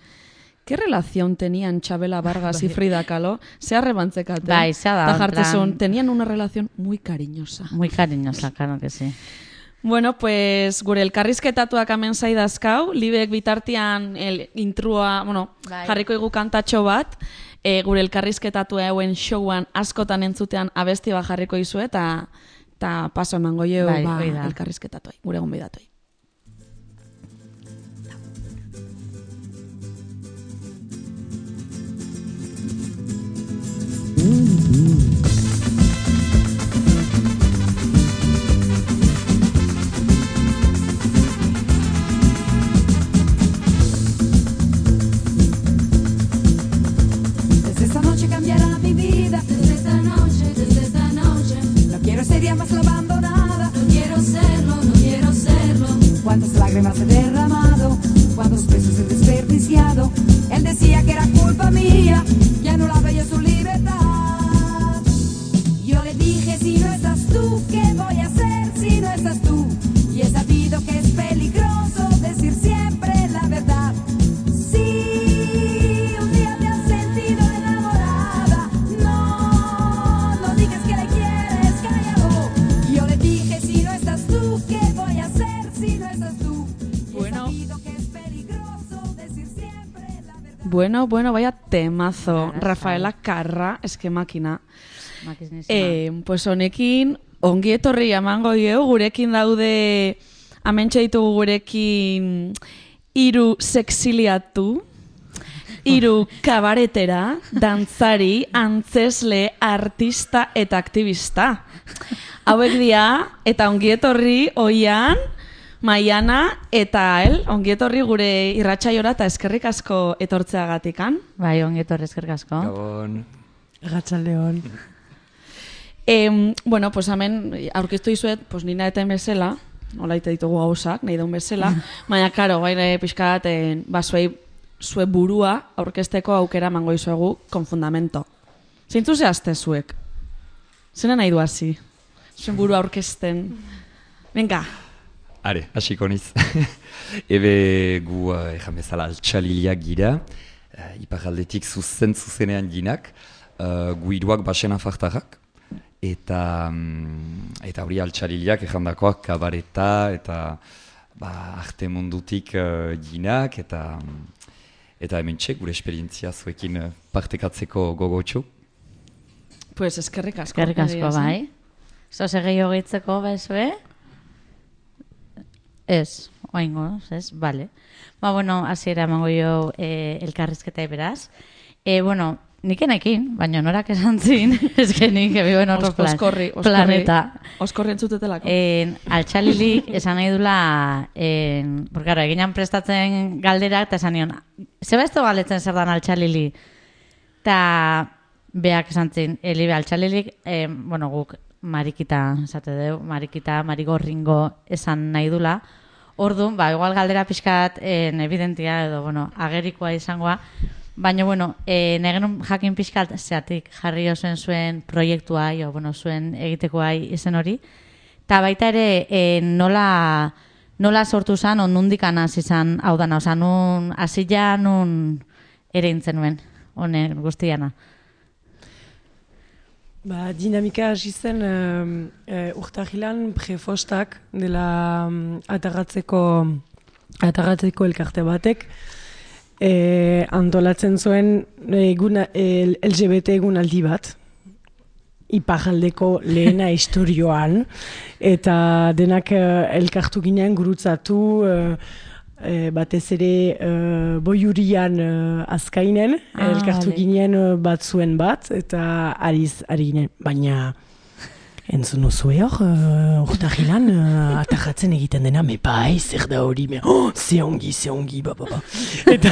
¿Qué relación tenían Chabela Vargas y Frida Kahlo? Se arrebantzekate. Bai, zea da, Ta en jartzezun, plan- tenían una relación muy cariñosa. Muy cariñosa, claro que sí. Bueno, pues gure elkarrizketatuak hemen zaidazkau, Libek bitartean el intrua, bueno, Bai. jarriko igu kantatxo bat, e, gure elkarrizketatua hauen showan askotan entzutean abesti bat jarriko izu eta eta paso emango jeu Bai, ba, hoi da. elkarrizketatuai, gure gonbidatuai. Desde esta noche cambiará mi vida. Desde esta noche, desde esta noche. No quiero ser ya más la abandonada. No quiero serlo, no quiero serlo. Cuántas lágrimas he derramado, cuántos besos he desperdiciado. Él decía que era culpa mía, ya no la veía su libertad. Yo le dije, si no estás tú, ¿qué voy a hacer si no estás tú? Y he sabido que es peligroso decir siempre la verdad. Si un día te has sentido enamorada, no, no digas que le quieres, callado. Yo le dije, si no estás tú, ¿qué voy a hacer si no estás tú? Y he Bueno. sabido que es peligroso decir siempre la verdad. Bueno, bueno, vaya temazo. Arrasai. Rafaela Carra, eske makina. Makiznisima. Eh, pues honekin, ongi etorri emango dieu, gurekin daude, amentxe ditugu gurekin, hiru sexiliatu, hiru kabaretera, dantzari, antzesle, artista eta aktivista. Hauek dira, eta ongi etorri, oian, Maiana eta El, ongietorri gure irratsaiora eta eskerrik asko etortzeagatikan. Bai, ongietorri eskerrik asko. Gabon. Arratsaldeon. Eh, bueno, pues hemen aurkeztu dizuet, pues nina eta bezala, nola ite ditugu gauzak, nahi daun bezala, baina, karo, gaire pixka bat, eh, ba, zuei, zue burua aurkezteko aukera emango dizuegu con fundamento. Zeintzu zehazte zuek? Zena nahi du hasi? Zuen burua aurkezten. Venga. Are, hasiko niz. Ebe gu, uh, ejan bezala, altxaliliak gira, uh, iparaldetik zuzen zuzenean ginak, uh, gu hiruak basena fartarrak, eta um, eta hori altxaliliak ejandakoak kabareta, eta ba, arte mundutik uh, ginak, eta eta hemen txek, gure esperientzia zuekin uh, partekatzeko gogotxu. Pues eskerrik asko. Eskerrik asko, bai. Zoze gehiago gehitzeko, bezue? Ez, oaingo, ez, bale. Ba, bueno, hasiera emango jo eh, elkarrizketa beraz. Eh, bueno, nik enekin, baina norak esan zin, ez que nik ebigo en otro plan, oskorri, oskorri, planeta. Oskorri entzutetelako. En, altxalilik esan nahi dula, en, porque, claro, eginan prestatzen galderak, eta esan nion, zeba ez to galdetzen zer dan altxalili? Eta beak esan zin, elibe altxalilik, eh, bueno, guk, marikita, esate deu, marikita, marigorringo esan nahi dula. Orduan, ba, igual galdera pixkat en evidentia edo, bueno, agerikoa izangoa. Baina, bueno, e, negen jakin pixkat zeatik jarri osoen zuen proiektua, jo, bueno, zuen egitekoa izen hori. Eta baita ere, e, nola, nola sortu zan, on nundik anaz izan, hau dana, oza, nun, azila, nun ere intzen nuen, honen guztiana. Ba, dinamika hasi zen uh, uh, urtahilan prefostak dela um, atarratzeko, atarratzeko elkarte batek eh, antolatzen zuen egun, el, L G B T egunaldi bat iparraldeko lehena istorioan eta denak uh, elkartu ginen gurutzatu uh, E, batez ere uh, boiurian uh, azkainen, ah, elkartu vale. ginen uh, batzuen bat, eta ariz, ari ginen, baina entzun nozue hor, uh, urtahilan uh, atajatzen egiten dena, me bai, zer da hori, me, oh, ze ongi, ze ongi, ba, ba, ba. Eta,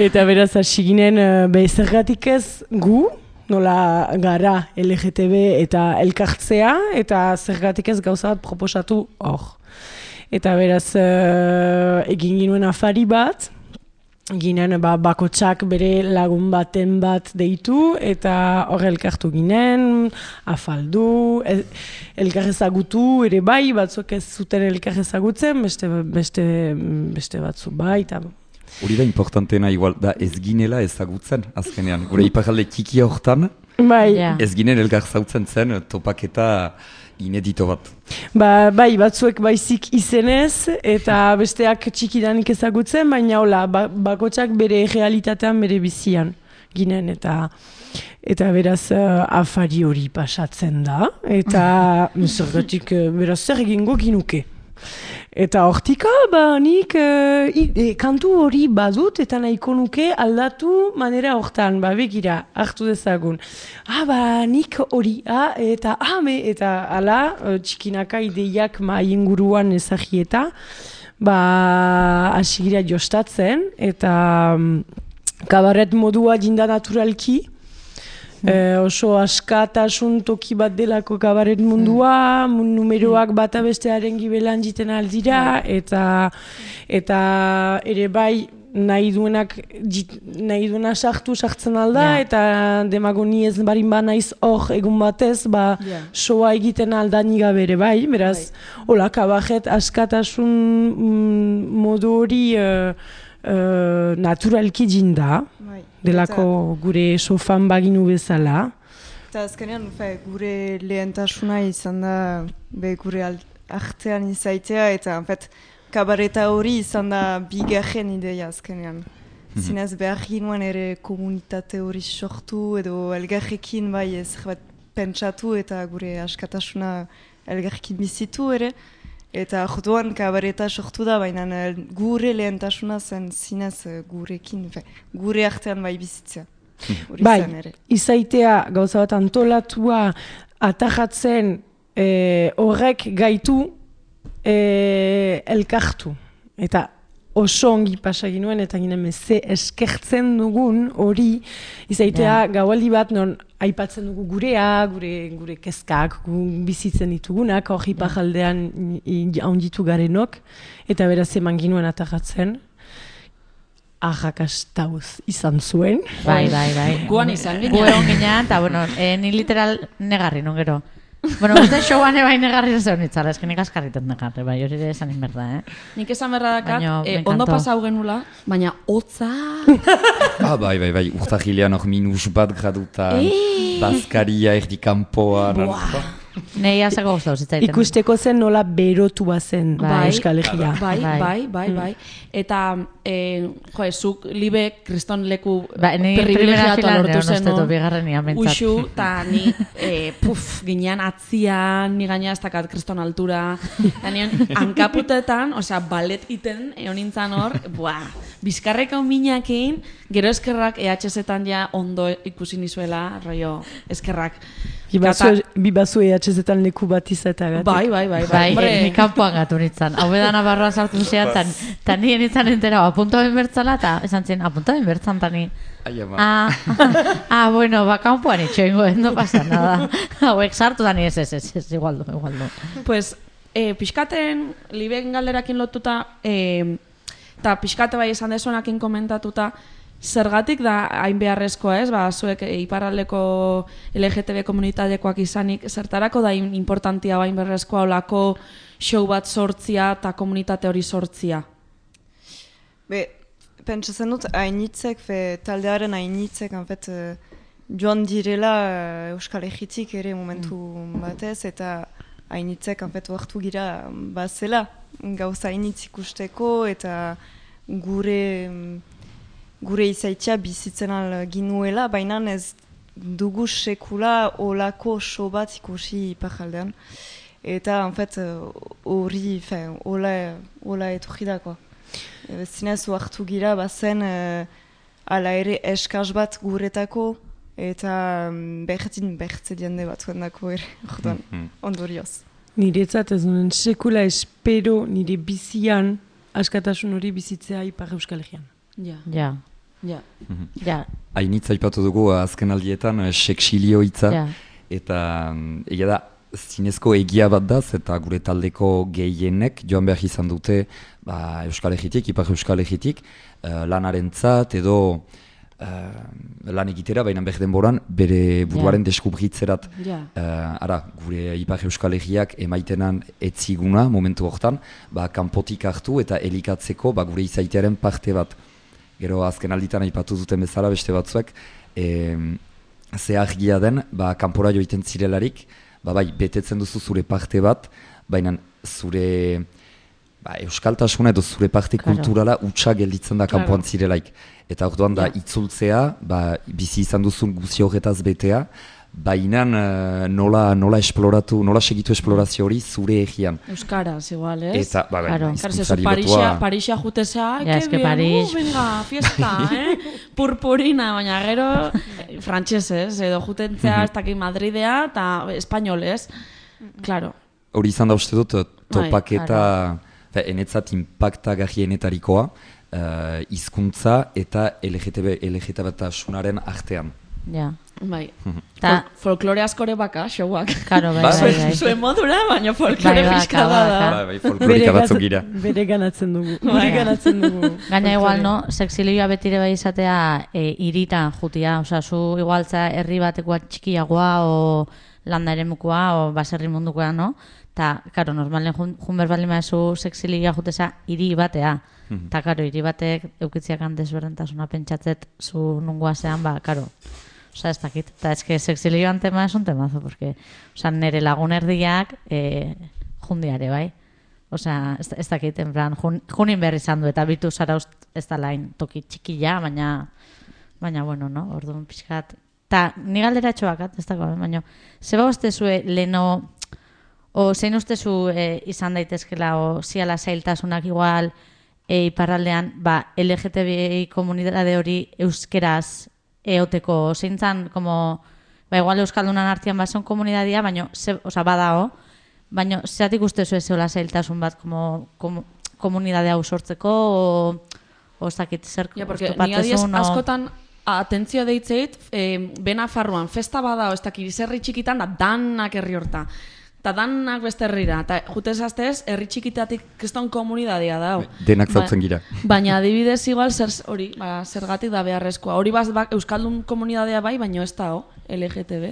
eta beraz hasi ginen, uh, be, zergatik ez gu, nola gara L G T B eta elkartzea, eta zergatik ez gauza bat proposatu hor. Eta beraz, uh, egin ginuen afari bat, ginen ba, bakotsak bere lagun baten bat deitu, eta hor elkartu ginen, afaldu, el, elkar ezagutu, ere bai, batzuk ez zuten elkar ezagutzen, beste, beste, beste batzu bai, eta... Hori da importantena igual, da ez ginela ezagutzen, azkenean. Gure iparalde txikia hortan, bai. Ja. ez ginen elkar zautzen zen topaketa inedito bat. Ba, bai, batzuek baizik izenez, eta besteak txikidanik ezagutzen, baina hola, ba, bakotsak bere realitatean, bere bizian ginen, eta eta beraz uh, afari hori pasatzen da, eta zergatik beraz zer egingo ginuke. Eta hortika, ba, nik uh, i, e, kantu hori badut eta nahiko nuke aldatu manera hortan, ba, begira, hartu dezagun. Ah, ba, nik hori, ah, eta ame, eta ala, uh, txikinaka ideiak ma inguruan ezagieta, ba, asigira jostatzen, eta um, kabaret modua jinda naturalki, Eh, oso askatasun toki bat delako kabaret mundua, mm. numeroak bata bestearen gibelan jiten aldira, eta eta ere bai nahi duenak jit, nahi duena sartu sartzen alda, yeah. Eta demagoni ez barin ba naiz hor egun batez, ba yeah. Soa egiten aldani gabe ere bai, beraz, right. Hola, kabaret askatasun mm, modu hori uh, uh, naturalki jinda. Right. Delako eta, gure sofan baginu bezala. Eta azkenean, gure lehentasuna izan da be gure artean izaitea, eta en fet, kabareta hori izan da bigarren ideia azkenean. Mm-hmm. Zinez behar ginoen ere komunitate hori sortu, edo elgarrekin bai ez bat pentsatu eta gure askatasuna elgarrekin bizitu ere. Eta joduan kabareta sortu da, baina gure lehentasuna zen zinez gurekin, fe, gure artean bai bizitzea. Bai, izaitea gauza bat antolatua atajatzen e, horrek gaitu e, elkartu. Eta oso ongi pasagin nuen, eta ginen ze eskertzen dugun hori, izaitea Ja. gaualdi bat non aipatzen dugu gurea, gure, gure kezkak, gu bizitzen ditugunak, hori pajaldean haunditu garenok, eta beraz eman ginuen atagatzen, arrakastauz izan zuen. Bai, bai, bai. Guan izan Gu egon ginean, eta bueno, eh, ni literal negarri, non gero. Bueno, uste showan ebai negarri ez egon itzala, esken ikaskarritet negarri, bai, hori ere esan inberda, eh? Nik esan berra dakat, Baina, eh, me ondo encantó. pasau genula, baina hotza... Ah, bai, bai, bai, urtahilean hor minus bat gradutan, bazkaria erdi kanpoan. Nei azako guztau zitzaiten. Ikusteko zen nola berotu bazen Bai. Euskal Herria. Bai, Bai. bai, bai, bai. Eta, eh, jo, zuk libe kriston leku Ba, ni primera privilegiatua filan lortu neon zen, ustetu bigarrenia mentzat. Uxu, eta ni, eh, puf, ginean atzian, ni gaina ez dakat kriston altura, eta nion hankaputetan, osea, balet iten, egon nintzen hor, buah, bizkarreko minakin, gero eskerrak E H Z-etan ja ondo ikusi nizuela, rollo, eskerrak. Bi bazu E H Z-etan leku bat izatagatik. Bai, bai, bai, Bai, Hombre, eh, ni kanpoan gatu nintzen. Hau edana barroa sartu zean, tan, tan nien nintzen entera, apunta ben bertzala, eta esan zen, apunta ben bertzan, tani. Ai, ama. Ah, ah, bueno, ba, kanpoan itxoingo, no pasa nada. Hauek sartu da ni ez, ez, ez, ez, igualdo, igualdo. Pues, eh, pixkaten, liben galderakin lotuta, eh, eta pixkate bai esan desuenakin komentatuta, zergatik da hain beharrezkoa, ez? Ba, zuek e, iparraldeko L G T B komunitatekoak izanik, zertarako da in- importantia hain beharrezkoa olako show bat sortzia eta komunitate hori sortzia? Be, pentsatzen dut, hainitzek, fe, taldearen hainitzek, en fet, eh, joan direla eh, Euskal Herritik ere momentu batez, eta hainitzek, en fet, oartu gira bazela, gauza hainitz ikusteko, eta gure gure izaitia bizitzen al ginuela, baina ez dugu sekula olako show bat ikusi iparraldean. Eta, en fet, hori, fe, hola, hola etorri da, koa. E, zinez oartu gira, bazen, e, ala ere eskaz bat guretako, eta mm, bertin bertze diende batzuen dako ere, orduan, ondorioz. Niretzat ez duen sekula espero nire bizian askatasun hori bizitzea Ipar Euskal Herrian. Ja, Ja, ja. ja, Hainitz aipatu dugu azken aldietan, eh, seksilio hitza, ja. eta mm, egia da, zinezko egia bat daz, eta gure taldeko gehienek joan behar izan dute ba, Euskal Herritik, Ipar Euskal Herritik, uh, lanarentzat edo uh, lan egitera, baina behar denboran bere buruaren deskubritzerat. Ja. Uh, ara, gure Ipar Euskal Herriak emaitenan etziguna momentu hortan, ba, kanpotik hartu eta elikatzeko ba, gure izaitearen parte bat. Gero azken alditan aipatu duten bezala beste batzuek, e, ze argia den, ba, kanpora joiten zirelarik, ba, bai, betetzen duzu zure parte bat, baina zure ba, euskaltasuna edo zure parte Claro. kulturala utxa gelditzen da Claro. kanpoan zirelaik. Eta orduan da Ja. itzultzea, ba, bizi izan duzun guzi horretaz betea, baina uh, nola, nola esploratu, nola segitu esplorazio hori zure egian. Euskaraz, igual, ez? Eta, ba, bai, Claro. Claro, ze zu hizkuntzari Parisia, lotua- Parisia jutezea, ai, Ja, que es que bien, Paris- uh, venga, fiesta, eh? Purpurina, baina gero eh, frantsesez, edo jutentzea, ez dakit Madridea, eta espainolez. Claro. Hori izan da uste dut, topaketa, Bai, enetzat impacta gahienetarikoa, uh, hizkuntza eta L G T B, L G T B-tasunaren artean. ja. Bai. Ta, Fol folklore askore baka, showak. karo, bai, Bai. bai, bai. Zuen modura, baina folklore Bai, baka, fiskala da. baka. Bai, bai, folklorika batzuk gira. Bere ganatzen dugu. Bai. Bere ganatzen dugu. Gaina igual, no, sexilioa betire bai izatea e, iritan jutia, osea, zu igualtza herri batekoa txikiagoa o landa eremukoa o baserri mundukoa, no? Ta, karo, normalen jun, jun berbaldin maezu sexilioa juteza hiri batea. Ta, karo, hiri batek eukitziakan desberdintasuna pentsatzet zu nungoa zean, ba, karo. Osa, ez dakit. Eta ez que sexilioan tema es un temazo, porque, osa, nere lagun erdiak e, jundiare, bai? Osea, ez, ez dakit, en plan, jun, junin berri izan du, eta bitu zara ust, ez da lain toki txikila, baina, baina, bueno, no, orduan pixkat. Ta, ni galdera etxoakat, ez dago, baina, zeba ustezue leno, o zein ustezu e, izan daitezkela, o ziala zailtasunak igual, e, iparraldean, ba, L G T B I komunitate hori euskeraz eoteko, zeintzan, como, ba, igual euskaldunan artean bazen komunitatea, baina, ze, oza, badao, Baina, zeratik uste zu ezeola zailtasun bat komo, komo, komunidade hau sortzeko, o, o zakit zer Ja, porque ni adiez askotan atentzio deitzeit, eh, bena farruan, festa bada, o ez dakit, herri txikitan, da danak herri horta. Eta danak beste herrira. Eta jutez aztez, herri txikitatik kriston komunidadea da. Denak zautzen gira. Baina adibidez igual zer, hori, ba, zergatik da beharrezkoa. Hori baz, ba, Euskaldun komunidadea bai, baina ez da, L G T B.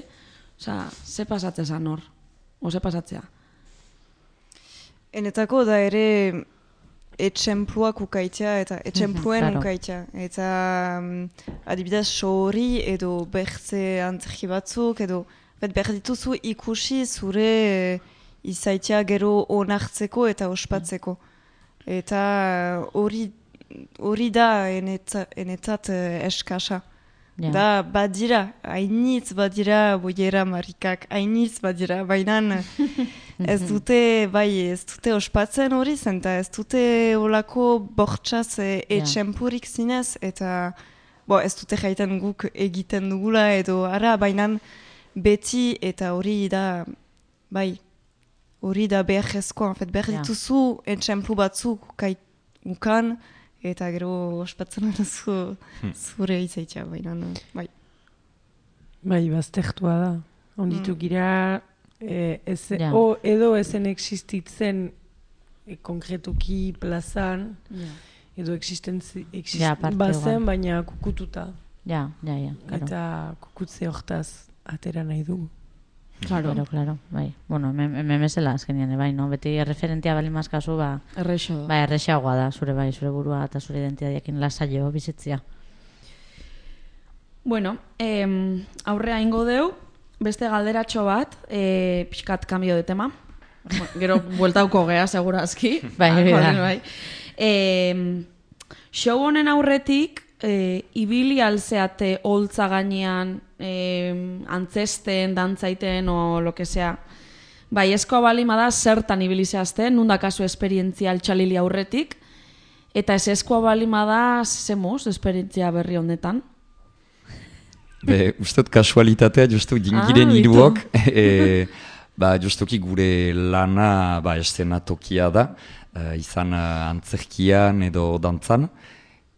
Osa, ze pasatzea zan hor? O ze pasatzea? Enetako da ere etxempluak ukaitea eta etxempluen claro. ukaitea. Eta um, adibidez sori edo bertze antzerki batzuk edo bet behar dituzu ikusi zure izaitea gero onartzeko eta ospatzeko. Eta hori hori da eneta, enetat uh, eskasa. Ja. Da badira, hainitz badira boiera marikak, hainitz badira, baina ez dute, bai, ez dute ospatzen hori zen, eta ez dute olako bortxaz e, etxempurik zinez, eta bo, ez dute jaiten guk egiten dugula edo ara, baina beti eta hori da, bai, hori da beharrezkoa, en fet, behar Ja. dituzu etxemplu batzuk ukai- ukan, eta gero ospatzen duzu zure izaitea, baina, bai. Bai, baztertua da. Onditu gira, eh, ez, Ja. o, edo ezen existitzen eh, konkretuki plazan, edo existentzi, exist, Ja, aparte bazen, igual. baina kukututa. Ja, ja, ja, claro. Eta kukutze hortaz atera nahi dugu. Claro, claro, claro, bai. Bueno, hemen bezala azkenean, bai, no? Beti erreferentia bali mazkazu, ba, Errexo. bai, errexagoa da, zure bai, zure burua eta zure identitateakin lasaio bizitzia. Bueno, eh, aurrea ingo deu, beste galderatxo bat, eh, pixkat kambio de tema. Bueno, gero bueltauko gea, segurazki. Bai, hori da. bai. Eh, show honen aurretik, eh, ibili alzeate holtza gainean, eh, antzesten, dantzaiten, o lo que sea. Bai, eskoa balima da, zertan ibili zehazten, nunda kasu esperientzia altxalili aurretik, eta ez eskoa balima da, zemuz, esperientzia berri honetan. Be, ustot kasualitatea justu gingiren Ah, hiruok, e, ba, justuki gure lana ba, eszenatokia da, e, izan uh, antzerkian edo dantzan,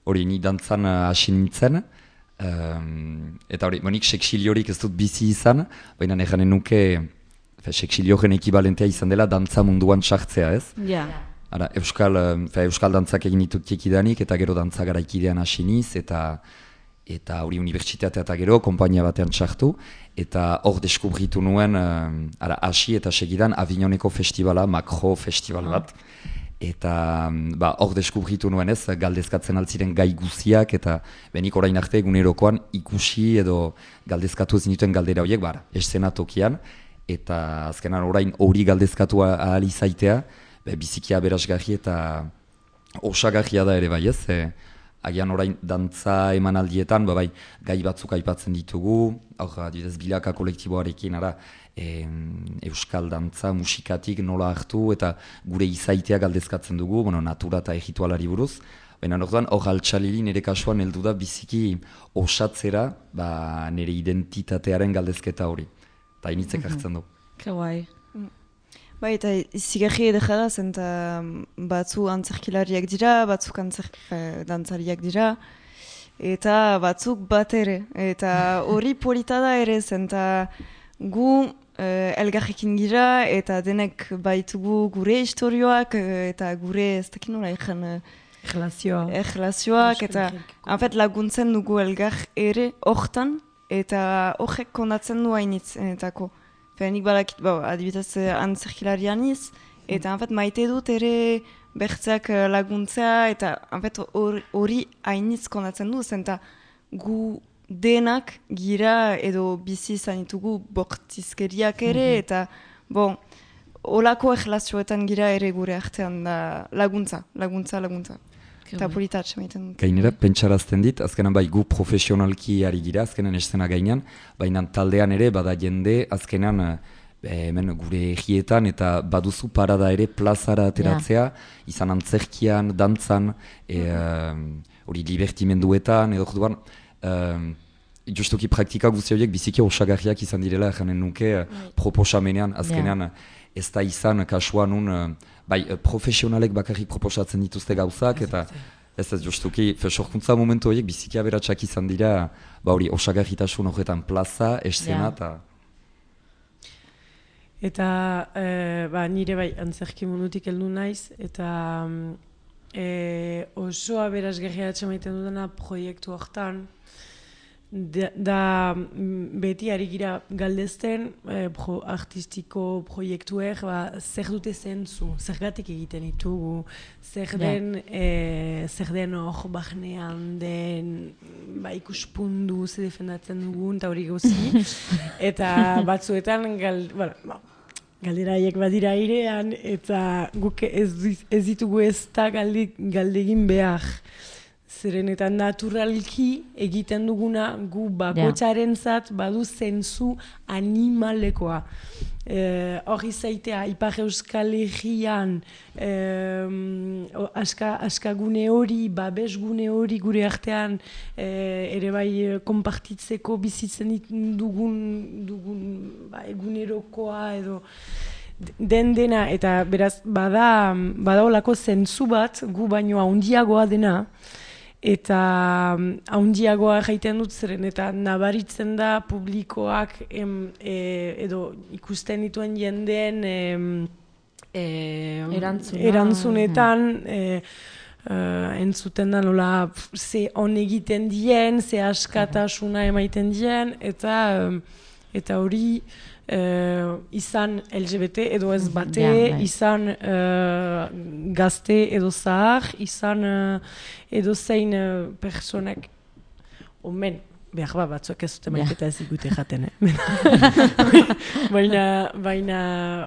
hori ni dantzan uh, hasi nintzen, um, eta hori, bonik seksiliorik ez dut bizi izan, baina nejanen nuke fe, seksilioren ekibalentea izan dela dantza munduan sartzea ez. Ja. Ara, euskal, um, fe, euskal dantzak egin ditut tiekidanik, eta gero dantza garaikidean hasi niz, eta eta hori unibertsitatea eta gero, konpainia batean txartu, eta hor deskubritu nuen, um, ara, hasi eta segidan Avignoneko festivala, Makro festival bat, eta um, ba, hor deskubritu nuen ez, galdezkatzen altziren gai guziak, eta benik orain arte egunerokoan ikusi edo galdezkatu ez nituen galdera horiek, bara, eszenatokian, eta azkenan orain hori galdezkatu ahal izaitea, be, bizikia berazgarri eta osagarria da ere bai ez, e, agian orain dantza emanaldietan, ba bai, gai batzuk aipatzen ditugu, hor, adibidez, bilaka kolektiboarekin, ara, e, euskal dantza musikatik nola hartu, eta gure izaitea galdezkatzen dugu, bueno, natura eta egitualari buruz, baina orduan, hor altxalili nire kasuan heldu da biziki osatzera, ba, nire identitatearen galdezketa hori, eta initzek hartzen du. Ke guai. Bai, eta zigarri edera da, zen batzu antzerkilariak dira, batzuk antzer, eh, dantzariak dira, eta batzuk bat ere. Eta hori polita da ere, zen gu eh, elgarrekin gira, eta denek baitugu gure historioak, eh, eta gure, ez dakit nola egen, eh, Relazioa. erlazioak, eta en fait, laguntzen dugu elgar ere hortan, eta horrek kondatzen du hainitz enetako. Nik balakit, bo, adibidez antzerkilarian iz, eta en fait, maite dut ere bertzeak laguntzea, eta en fait, hori hainitz kondatzen du, zenta gu denak gira edo bizi izan ditugu bortizkeriak ere, eta bon, olako erlazioetan gira ere gure artean da laguntza, laguntza, laguntza. Eta politatxe maiten dut. Gainera, pentsarazten dit, azkenan bai gu profesionalki ari gira, azkenan eszena gainean, baina taldean ere bada jende, azkenan eh, hemen gure egietan eta baduzu parada ere plazara ateratzea, izan antzerkian, dantzan, hori e, uh, libertimenduetan, edo juduan, uh, justuki praktika guzti horiek biziki osagarriak izan direla janen nuke proposamenean, azkenean ez da izan kasua nun, bai, profesionalek bakarrik proposatzen dituzte gauzak, eta ez ez justuki, sorkuntza momentu horiek biziki aberatsak izan dira, ba hori, osagarritasun horretan plaza, eszena, eta... Eta e, ba, nire bai antzerki mundutik heldu naiz, eta e, oso aberasgarria atxamaiten dudana proiektu hortan, da, da beti ari gira galdezten e, pro, artistiko proiektuek ba, zer dute zentzu, zergatik egiten ditugu, zer den, e, zer den hor bahnean den ba, ikuspundu ze defendatzen dugun, eta hori gauzi, eta batzuetan gal, bueno, ba, galdera haiek badira airean, eta guk ez, ez ditugu ez da galde, galdegin behar. Zeren eta naturalki egiten duguna gu bakotxaren zat badu zentzu animalekoa. Hor e, izaitea, Ipar Euskal Herrian e, aska, askagune hori, babesgune hori gure artean e, ere bai konpartitzeko bizitzen dugun, dugun ba, egunerokoa edo den dena, eta beraz bada, bada olako zentzu bat gu baino handiagoa dena, eta haundiagoa jaiten dut zeren, eta nabaritzen da publikoak em, e, edo ikusten dituen jendeen em, e, Erantzuna. erantzunetan e, e, entzuten da nola ze on egiten dien, ze askatasuna emaiten dien, eta eta hori Uh, izan L G B T edo ez bate, yeah, right. izan uh, gazte edo zahar, izan uh, edo zein uh, personek omen, behar ba, batzuak ez dute maiketa ez ikute jaten, eh? baina, baina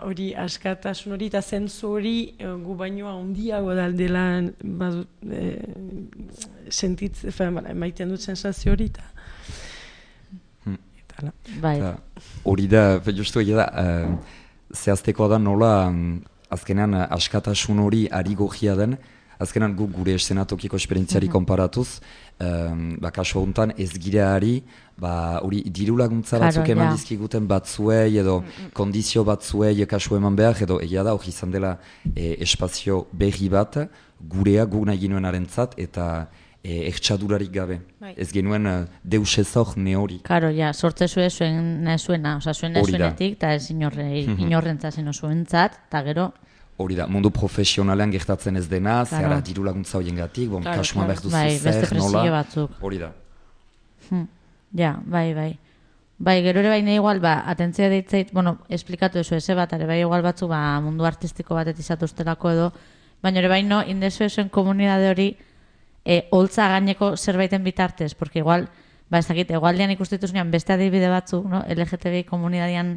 hori askatasun hori eta zentzu hori uh, gu bainoa handiago daldela badut, eh, sentitz, maiten dut sensazio hori eta bai. Hori da, justu egia da, uh, zehaztekoa da nola um, azkenean uh, askatasun hori ari gogia den, azkenean gu gure eszenatokiko esperientziari mm-hmm. konparatuz, um, ba, kasu honetan ez gira ari, ba, hori diru laguntza batzuk eman ja. dizkiguten batzuei edo mm-hmm. kondizio batzuei kasu eman behar, edo egia da, hori izan dela e, espazio berri bat, gurea gu nahi ginoenarentzat, eta E, ertsadurarik gabe. Bai. Ez genuen uh, deus ezok ne hori. Karo, ja, sortze zuen zuen zuena, oza, zuen zuenetik, eta ez inorre, inorrentzat zeno zuentzat, eta gero... Hori da, mundu profesionalean gertatzen ez dena, zehara diru laguntza horien gatik, bon, kasuan behar duzu bai, zer, nola... batzuk. Hori da. Hm. Ja, bai, bai. Bai, gero ere baina igual, ba, atentzia deitzait, bueno, esplikatu ezu eze bat, ere bai igual batzu, ba, mundu artistiko bat etizatu ustelako edo, baina ere baino, indezu ezuen komunidade hori, E, holtza gaineko zerbaiten bitartez, porque igual, ba ez dakit, egualdean ikustituzunean beste adibide batzu, no? L G T B komunidadian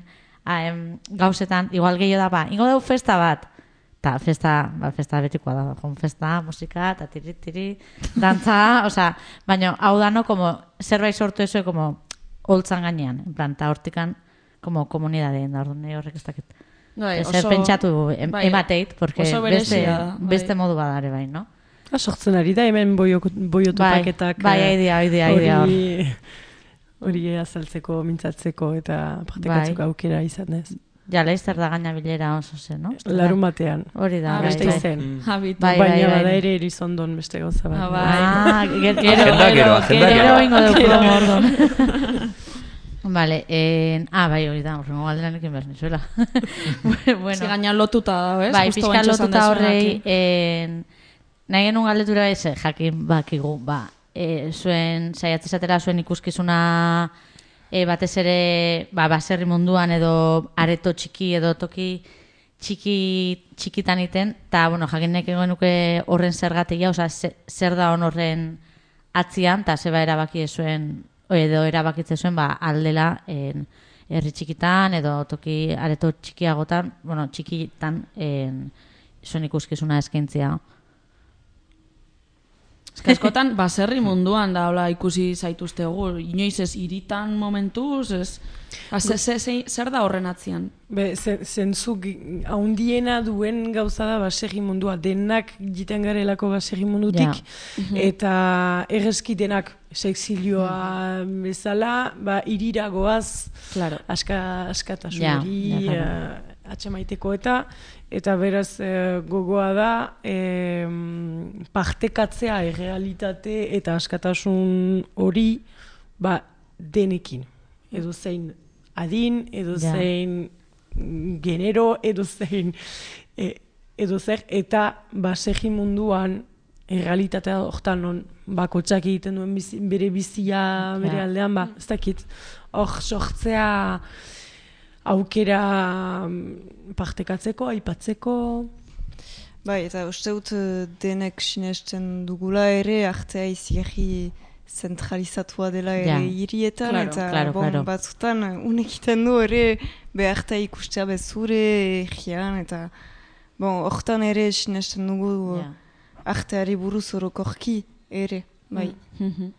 em, gauzetan, igual gehiago da, ba, ingo dau festa bat, eta festa, ba, festa betikoa da, jon festa, musika, eta tiri, tiri, dantza, osea, baina hau da, no, como, zerbait sortu ezue, como, holtzan gainean, en plan, eta hortikan, como, komunidadeen, da, orduan, horrek ez dakit. Bai, Zer oso, pentsatu em, bai, emateit, porque beste, bai. beste modu badare bai, no? Sortzen ari da, hemen boiotopaketak bai, bai, idea, idea, idea hori azaltzeko, mintzatzeko eta praktikatzeko bai. Aukera izan ez. Ja, laizzer da gaina bilera oso zen, no? Larun batean. Hori da, bai, beste izen. Bai, bai, baina bada ere erizondon beste gauza bat. Ah, gero, gero, gero ingo dugu mordon. Vale, eh, ah, bai, hori da, horrengo galderan ekin behar nizuela. bueno. Si gaina lotuta da, ez? Bai, pixka lotuta horrei, eh, nahi genuen galdetura ez, jakin bakigu, ba, e, zuen, saiatzezatera zuen ikuskizuna e, batez ere, ba, baserri munduan edo areto txiki edo toki txiki, txikitan iten, eta, bueno, jakin nahi genuke horren zergatia, oza, zer da hon horren atzian, eta zeba erabaki zuen, edo erabakitze zuen, ba, aldela, en, herri txikitan edo toki areto txikiagotan, bueno, txikitan en, zuen ikuskizuna eskaintzia. Eska askotan, baserri munduan da, hola, ikusi zaituztegu, inoiz ez iritan momentuz, ez... Ba, ze, ze, ze, zer da horren atzian? Be, zentzu haundiena duen gauza da baserri mundua, denak jiten garelako baserri mundutik, Ja. eta erreski denak sexilioa bezala, ba, iriragoaz, Claro. aska, askatasun Ja, hori, ja, claro. eh, atxemaiteko eta, eta beraz eh, gogoa da eh, partekatzea errealitate eta askatasun hori ba, denekin. Edo zein adin, edo Ja. zein genero, edo zein e, edo zer, eta basegi munduan errealitatea hortan non bakotxak egiten duen bizi, bere bizia bere Ja. aldean, ba, ez dakit, hor sortzea aukera mm, partekatzeko, aipatzeko. Bai, eta uste dut eh, denek sinesten dugula ere, artea izigarri zentralizatua dela ere Ja. hirietan, Claro, eta claro, bon, claro. batzutan eh, unek iten du ere beharta ikustea bezure egian, eta bon, hortan ere sinesten dugu Ja. arteari buruz orokorki ere, bai, Mhm.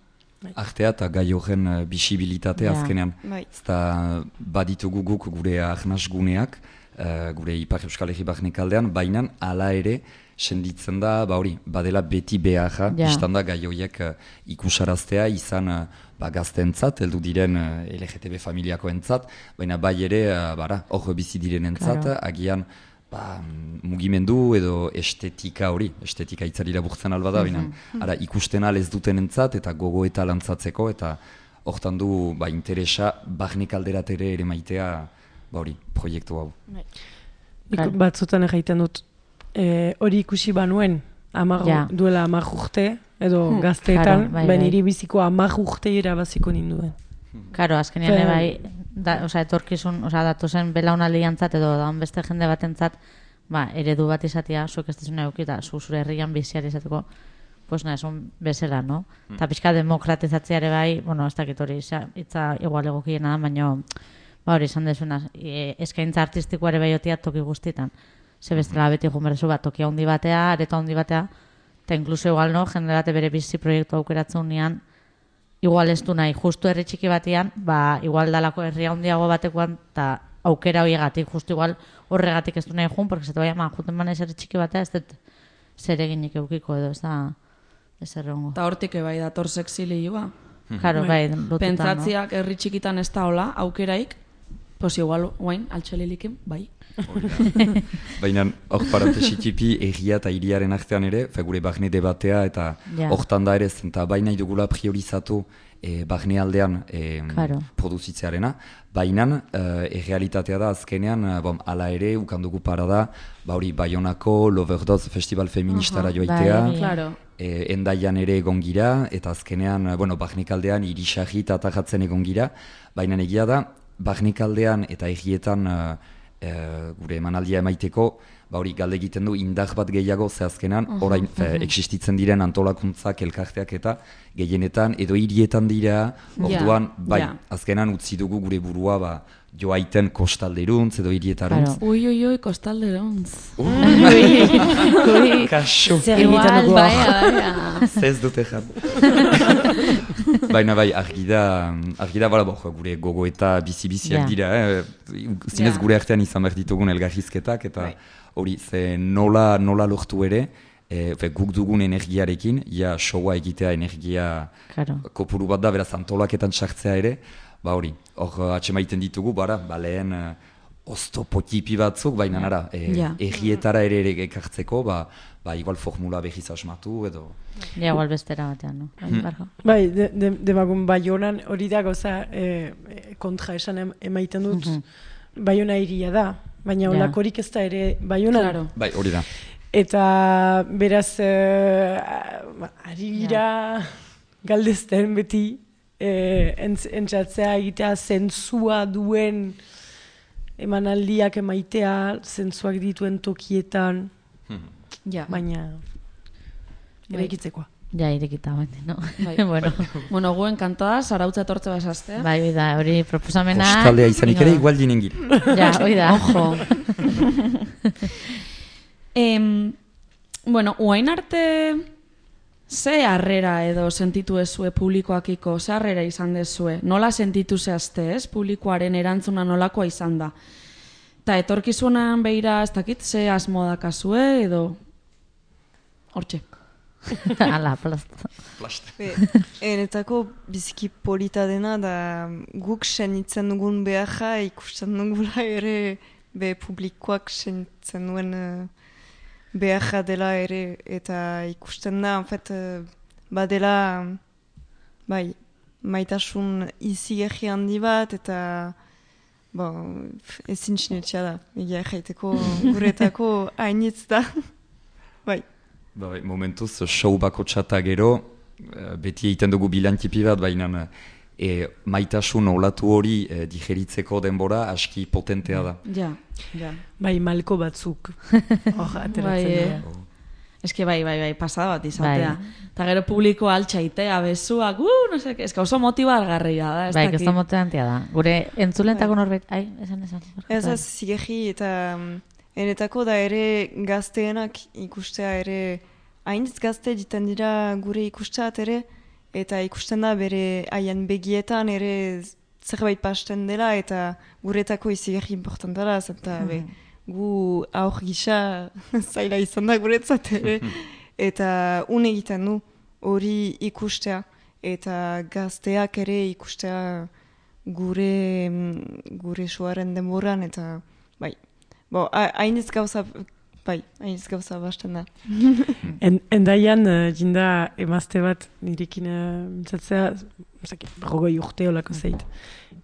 Artea eta gai horren uh, bisibilitatea Ja. azkenean. bai. Eta baditugu guk gure ahnasguneak, uh, gure Ipar Euskal Herri Barnekaldean, baina hala ere senditzen da, ba hori, badela beti beharra, Ja. bistan da gai horiek uh, ikusaraztea izan uh, ba, gazteentzat, heldu diren uh, L G T B familiakoentzat, baina bai ere, uh, bara, hor bizi direnentzat, Claro. agian ba, mugimendu edo estetika hori, estetika hitzari laburtzen alba da, baina ara, ikusten al ez dutenentzat eta gogo eta lantzatzeko, eta hortan du ba, interesa barnek alderatere ere maitea ba hori, proiektu hau. Nik Claro. batzutan egiten dut eh, hori ikusi banuen amar, Ja. duela hamar urte edo Hmm, gazteetan, claro, bai, ben bai. niri biziko hamar urte irabaziko ninduen. Karo, azkenean Fe- ere bai, da, oza, etorkizun, oza, datozen belaunaldiantzat edo daun beste jende batentzat, ba, eredu bat izatea, zuek ez dizuna eukita, zu zure herrian biziari izateko, pues na, esun bezala, no? Eta pixka demokratizatzea ere bai, bueno, ez dakit hori, za- hitza igual egokiena da, baina, ba hori, izan dezuna, e, eskaintza artistikoa ere bai otia toki guztietan. Ze bestela beti egun berrezu bat, toki handi batea, areto handi batea, eta inkluso igual, no, jende bate bere bizi proiektu aukeratzen unean, igual ez du nahi, justu herri txiki batean, ba, igual dalako herri handiago batekoan, eta aukera horiegatik, justu igual horregatik ez du nahi jun, porque zetu bai, ma, juten banez herri txiki batea, ez dut zer eginik eukiko edo, ez da, ez errongo. Eta hortik bai dator sexilioa. Karo, bai, lotuta, Pentsatziak herri txikitan ez da hola, aukeraik, pues igual, guain, altxelilikin, bai. Baina hor parantesitipi egia eta hiriaren artean ere, fe gure barne debatea eta Ja. hortan da ere, eta baina dugula priorizatu e, barne aldean e, Claro. produzitzearena, baina e, errealitatea da azkenean, e, bom, ala ere, ukandugu parada, ba hori, Baionako Loverdose Festival Feministara Aha, joaitea, bai. Claro. e, endaian ere egon gira, eta azkenean, e, bueno, barnekaldean irisarri eta atajatzen egon gira, baina egia da, barnekaldean eta egietan e, e, gure emanaldia emaiteko, ba hori galde egiten du indar bat gehiago ze azkenan, orain fe, existitzen diren antolakuntzak, elkarteak eta gehienetan edo hirietan dira, orduan, bai, ja. azkenan utzi dugu gure burua, ba, joaiten kostalderuntz edo hirietarantz. Claro. Ui, ui, ui, kostalderontz. Kaso! Zer egiten Igual, dugu bai, hor? bai. Ez dute jan. Baina bai, argi da, argi da, bala, bo, gure gogo eta bizi-biziak Ja. dira, eh? Zinez Ja. gure artean izan behar ditugun elgarrizketak, eta hori, ze nola, nola lortu ere, e, fe, guk dugun energiarekin, ja showa egitea energia Karo. kopuru bat da, beraz antolaketan sartzea ere, ba hori, hor atxemaiten ditugu, bara, ba lehen uh, oztopotipi batzuk, baina nara, e, Ja. egietara ere ere ekartzeko, ba, ba igual formula behiz asmatu, edo... Ja, igual bestera batean, no? Bai, barka. Bai, de, de, demagun Baionan hori da gauza eh, eh, kontra esan em- emaiten dut, Mhm. Baiona hiria da, baina Ja. olakorik ez da ere Baionan. Claro. Bai, hori da. Eta beraz, eh, ari gira galdezten beti, eh, entz, entzatzea egitea zentzua duen emanaldiak emaitea, zentzuak dituen tokietan, Ja. baina Bai. eraikitzekoa. Ja, irekita baina, no? Bai. bueno, Bueno, guen kantoa, zarautza etortze basaztea. bai, hoi da, hori proposamena... Kostaldea izanik ere, Ino. igual jinen gira. Ja, hoi da. Ojo. em, bueno, uain arte Ze harrera edo sentitu ezue publikoakiko, ze harrera izan dezue? Nola sentitu zehazte, ez? Publikoaren erantzuna nolakoa izan da. Eta etorkizunan behira, ez dakit, ze asmo dakazue edo... Hortxe. Ala, plasta. Be, enetako biziki polita dena da guk senitzen dugun beharra ikusten dugula ere be publikoak senitzen duen uh, beharra dela ere eta ikusten da, en fait, uh, badela bai, maitasun izigarri handi bat eta bon, ezin sinetxea da, egia jaiteko guretako hainitz da, bai. Ba, momentuz, show bako txata gero, beti egiten dugu bilantipi bat, baina e, maitasun olatu hori e, digeritzeko denbora aski potentea da. Ja, ja. Bai, malko batzuk. Hor, ateratzen Bai, dira. eh. Eske bai, bai, bai, pasada bat izatea. Bai. Eta gero publiko altxaitea, bezuak, uh, no sé, eska oso motibargarria da. Ez Bai, dakit. que motivantea da. Gure entzulentako norbait, ai, esan esan. Ez ez, zigerri eta um, enetako da ere gazteenak ikustea ere, hainitz gazte ditan dira gure ikusteat ere, eta ikusten da bere haien begietan ere zerbait pasten dela, eta guretako izigerri importanta da, zenta be, gu aur gisa zaila izan da guretzat ere, eta une egiten du hori ikustea, eta gazteak ere ikustea gure, gure soaren denboran, eta bai, bo, hainitz gauza, bai, hainitz gauza basten da. En, endaian, uh, jinda emazte bat nirekin uh, mintzatzea, berrogei urte olako zeit.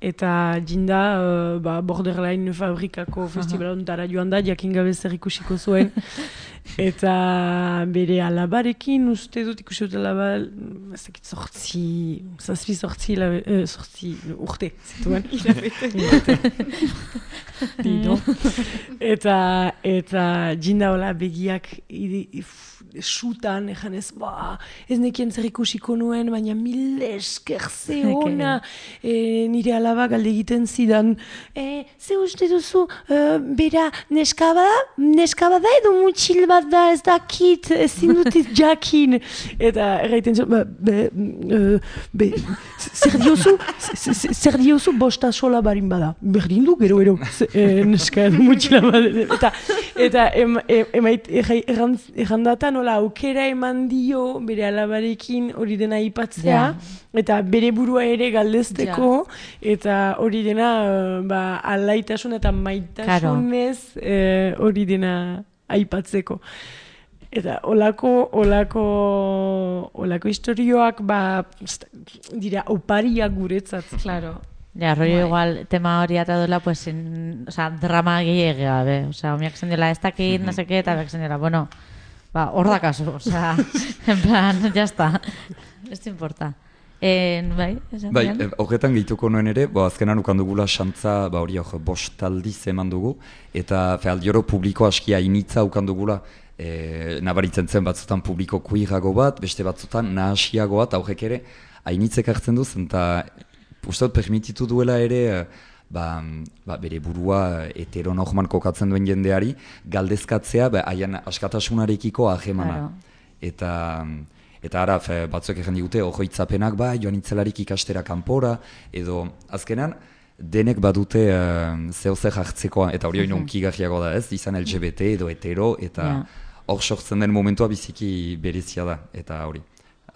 Eta jinda, uh, ba, Borderline fabrikako festivalontara joan da, jakin gabe zer ikusiko zuen. Eta bere alabarekin, uste dut ikusi dut alaba, ez dakit sortzi, zazpi sortzi, labe, uh, sortzi urte, zituen. Dido. Eta, eta jinda hola begiak sutan, ejan ez, ba, ez nekien zer ikusiko nuen, baina mil esker ze ona, e, nire alaba galde egiten zidan, e, ze uste duzu, e, bera, neskaba da, neskaba da edo mutxil bat da, ez dakit, ezin dutit jakin. Eta erraiten zuen, ba, be, e, be, zer diozu, zer diozu bosta sola barin bada, berdin du, gero, gero, e, neska edo mutxila bat, eta, eta em, em, emait, errandatan, nola, aukera eman dio bere alabarekin hori dena aipatzea, Ja. eta bere burua ere galdezteko, eta hori dena uh, ba, alaitasun eta maitasunez eh, hori dena aipatzeko. Eta olako, olako, olako historioak ba, dira opariak guretzat. Claro. Ja, rollo igual tema hori ata duela, pues, in, o sea, drama gehiago gabe. O sea, omiak zen dela ez dakit, no sé qué, eta beak zen dela, bueno, ba, hor da kasu, o sea, en plan, ya está. Ez te importa. En, bai, esan Bai, dian? e, horretan gehituko nuen ere, bo, azkenan ukan dugula xantza, ba hori hor, bost aldiz eman dugu, eta fe, aldioro publiko aski hainitza ukan dugula, e, nabaritzen zen batzutan publiko kuirago bat, beste batzutan nahasiago bat, aurrek ere, hainitzek hartzen duz, eta uste dut permititu duela ere, ba, ba, bere burua heteronorman kokatzen duen jendeari, galdezkatzea, ba, haien askatasunarekiko ahemana. Claro. Eta, eta ara, fe, batzuek egin digute, ojoitzapenak, ba, joan itzelarik ikastera kanpora, edo azkenan, denek badute uh, zehozer hartzekoa, eta hori hori unkigarriago da ez, izan L G B T edo hetero, eta hor yeah. sortzen den momentua biziki berezia da, eta hori,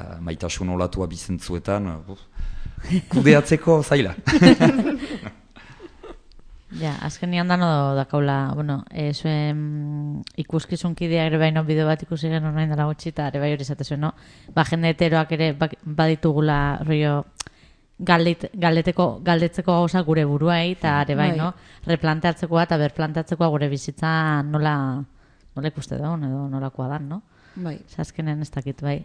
uh, maitasun olatua bizentzuetan, uh, kudeatzeko zaila. Ja, azkenian dano dakaula, bueno, e, zuen ikuskizunkidea ere baino bideo bat ikusi genuen nahi dela gutxi, eta ere bai hori izate zuen, no? Ba, jende heteroak ere baditugula, rollo, galdit, galdeteko, galdetzeko gauza gure buruai, eta ere bai, no? Replanteatzekoa eta berplanteatzekoa gure bizitza nola, nola ikuste daun, edo nolakoa dan, no? Bai. Azkenen ez dakit, bai.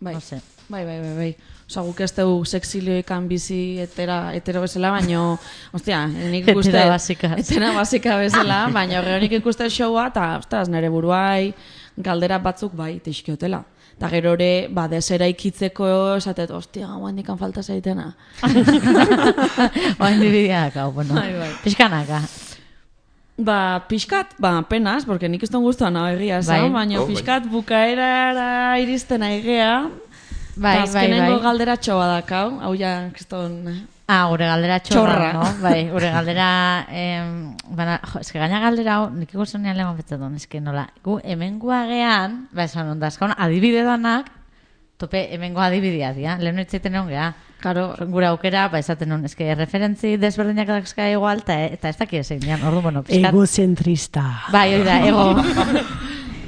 Bai. No sé. Bai, bai, bai, bai. Osa, guk ez dugu sexilioikan bizi etera, etero bezala, baino, ostia, nik ikuste... Etera basika. Etera basika bezala, baina horre nik ikuste showa, eta, ostras, nire buruai galdera batzuk bai, teixkiotela. Eta gero ere, ba, desera ikitzeko, esatet, ostia, guain dikan falta zaitena. Oain dibidiak, hau, bueno. Bai, bai. Pixkanaka. Ba, pixkat, ba, penaz, porque nik ez duen guztuan hau egia esan, Bai. baina Oh, bai. pixkat bukaerara iristen aigea, Bai, bai, azkenengo bai. galderatxo badakau, hau ja, kriston... Ah, gure galdera txorra, Txorra. no? Bai, gure galdera... Em, bana, jo, eske gaina galdera hau, nik ikusenean lehen betzaton, eske nola, gu hemengoa gean, ba, esan onda, eskaun, adibide danak, tope hemengoa adibidea dira, lehen hitzaiten egon geha. Karo, Gure aukera, ba, esaten nun, eske referentzi desberdinak dazka igual, ta, eta ez dakit zein dian, ordu, bueno, pizkat... Egozentrista. Bai, hori da, ego...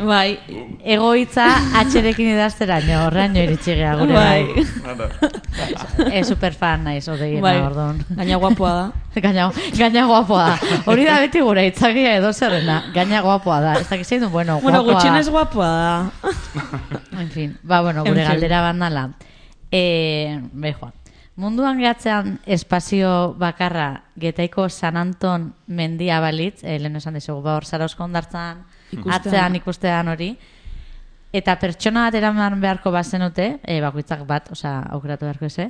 bai, Egoitza atxerekin idazteraino, horreaino iritsi geha gure bai. E, superfan naiz, odegiena, bai, orduan. gaina guapoa da. Gaina, gaina guapoa da. Hori da beti gure itzakia edo zerrena. Gaina guapoa da. Ez dakiz du, bueno, Bueno, guapoa gutxinez da. guapoa da. En fin, ba, bueno, gure En fin. galdera bandala. E, Be, Juan. Munduan gehatzean espazio bakarra Getaiko San Anton mendia balitz, e, lehen esan dizugu, ba, hor Zarauzko hondartzan, Ikustean. atzean ikustean hori, eta pertsona bat eraman beharko bazenute, e, bakoitzak bat, osea, aukeratu beharko eze,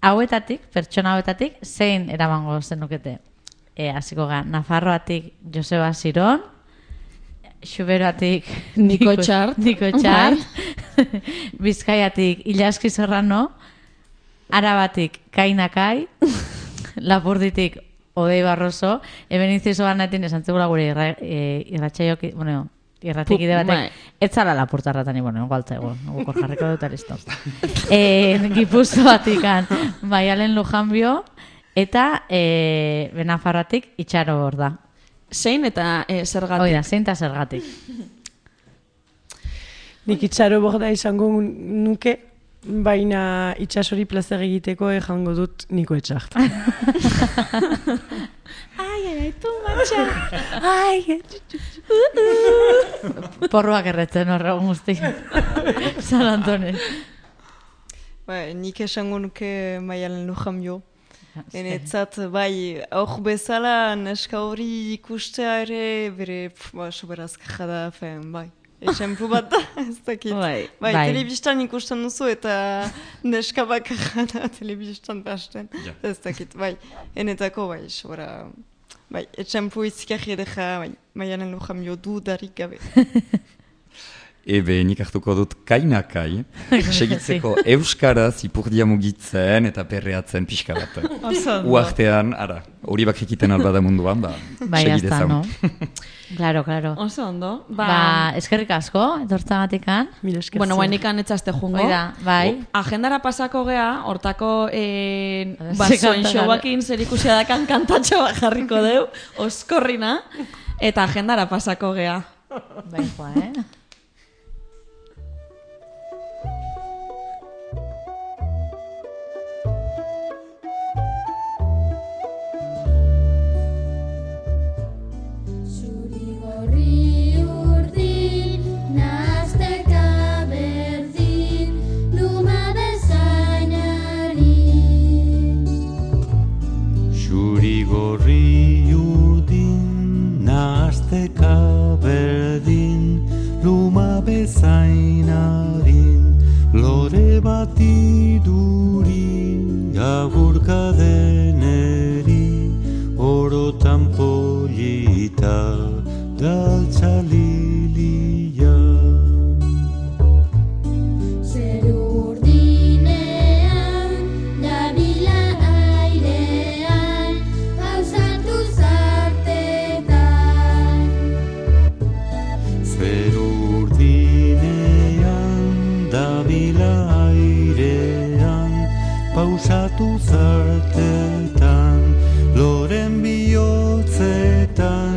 hauetatik, pertsona hauetatik, zein eramango zenukete? E, hasiko ga, Nafarroatik Joseba Ziron, Xuberoatik Niko Txart. Niko Txart, Bizkaiatik Ilaski Serrano, Arabatik Kainakai, Lapurditik Odei Barroso, hemen inciso banaetin esan zegula gure irra, e, irratxaiok, bueno, irratikide Pu- batek, bai. ez zala lapurtarratan, bueno, igual zaigu, gukor jarriko dut, listo. e, Gipuzkoatikan Maialen Lujanbio, eta e, Benafarroatik Itxaro hor da. Zein eta e, zergatik. Hoi da, zein eta zergatik. Nik itxaro borda izango nuke, baina itxasori plazer egiteko ejango dut Niko Etxart. Ai, ai, ai, tu matxa. Ai, porroak erretzen horregun guzti. San Antonen. Bai, nik esango nuke Maialen Lujanbio. Enetzat, bai, aur bezala neska hori ikustea ere, bere, pf, ba, soberazka da, fen, bai. Esenplu bat da, ez dakit. Bai. Bai, Bai. telebistan ikusten duzu eta neska bakarra da telebistan pasten. Ja. Ez dakit, bai. Enetako, bai, sobera, bai, esenplu izkiarri edeka, bai, Maialen Lujanbio dudarik gabe. Ebe, nik hartuko dut kainakai, segitzeko euskaraz ipurdia mugitzen eta perreatzen pixka bat. Uartean, ara, hori bak egiten albada munduan, ba, Bai, segi hasta, dezagun. no? Claro, claro. Oso ondo. Ba, Ba, eskerrik asko, etortzagatikan. Mila esker bueno, zuei. guainikan etzazte jungo. Hoi da, bai. Agendara pasako gea, hortako eh, A ver, ba, ze soin kanta showakin zer ikusia dakan kantatxo bat jarriko deu, oskorrina, eta agendara pasako gea. Bai, joa, eh? Zuri urdin, nahasteka berdin, luma bezainari. Xuri gorri urdin, nahasteka berdin, luma bezainarin, lore bat iduri, agurka deneri, orotan polita, daltza lilia. Zeru urdinean, dabila airean, pausatu zartetan. Zeru urdinean, dabila airean, pausatu zartetan, loren bihotzetan,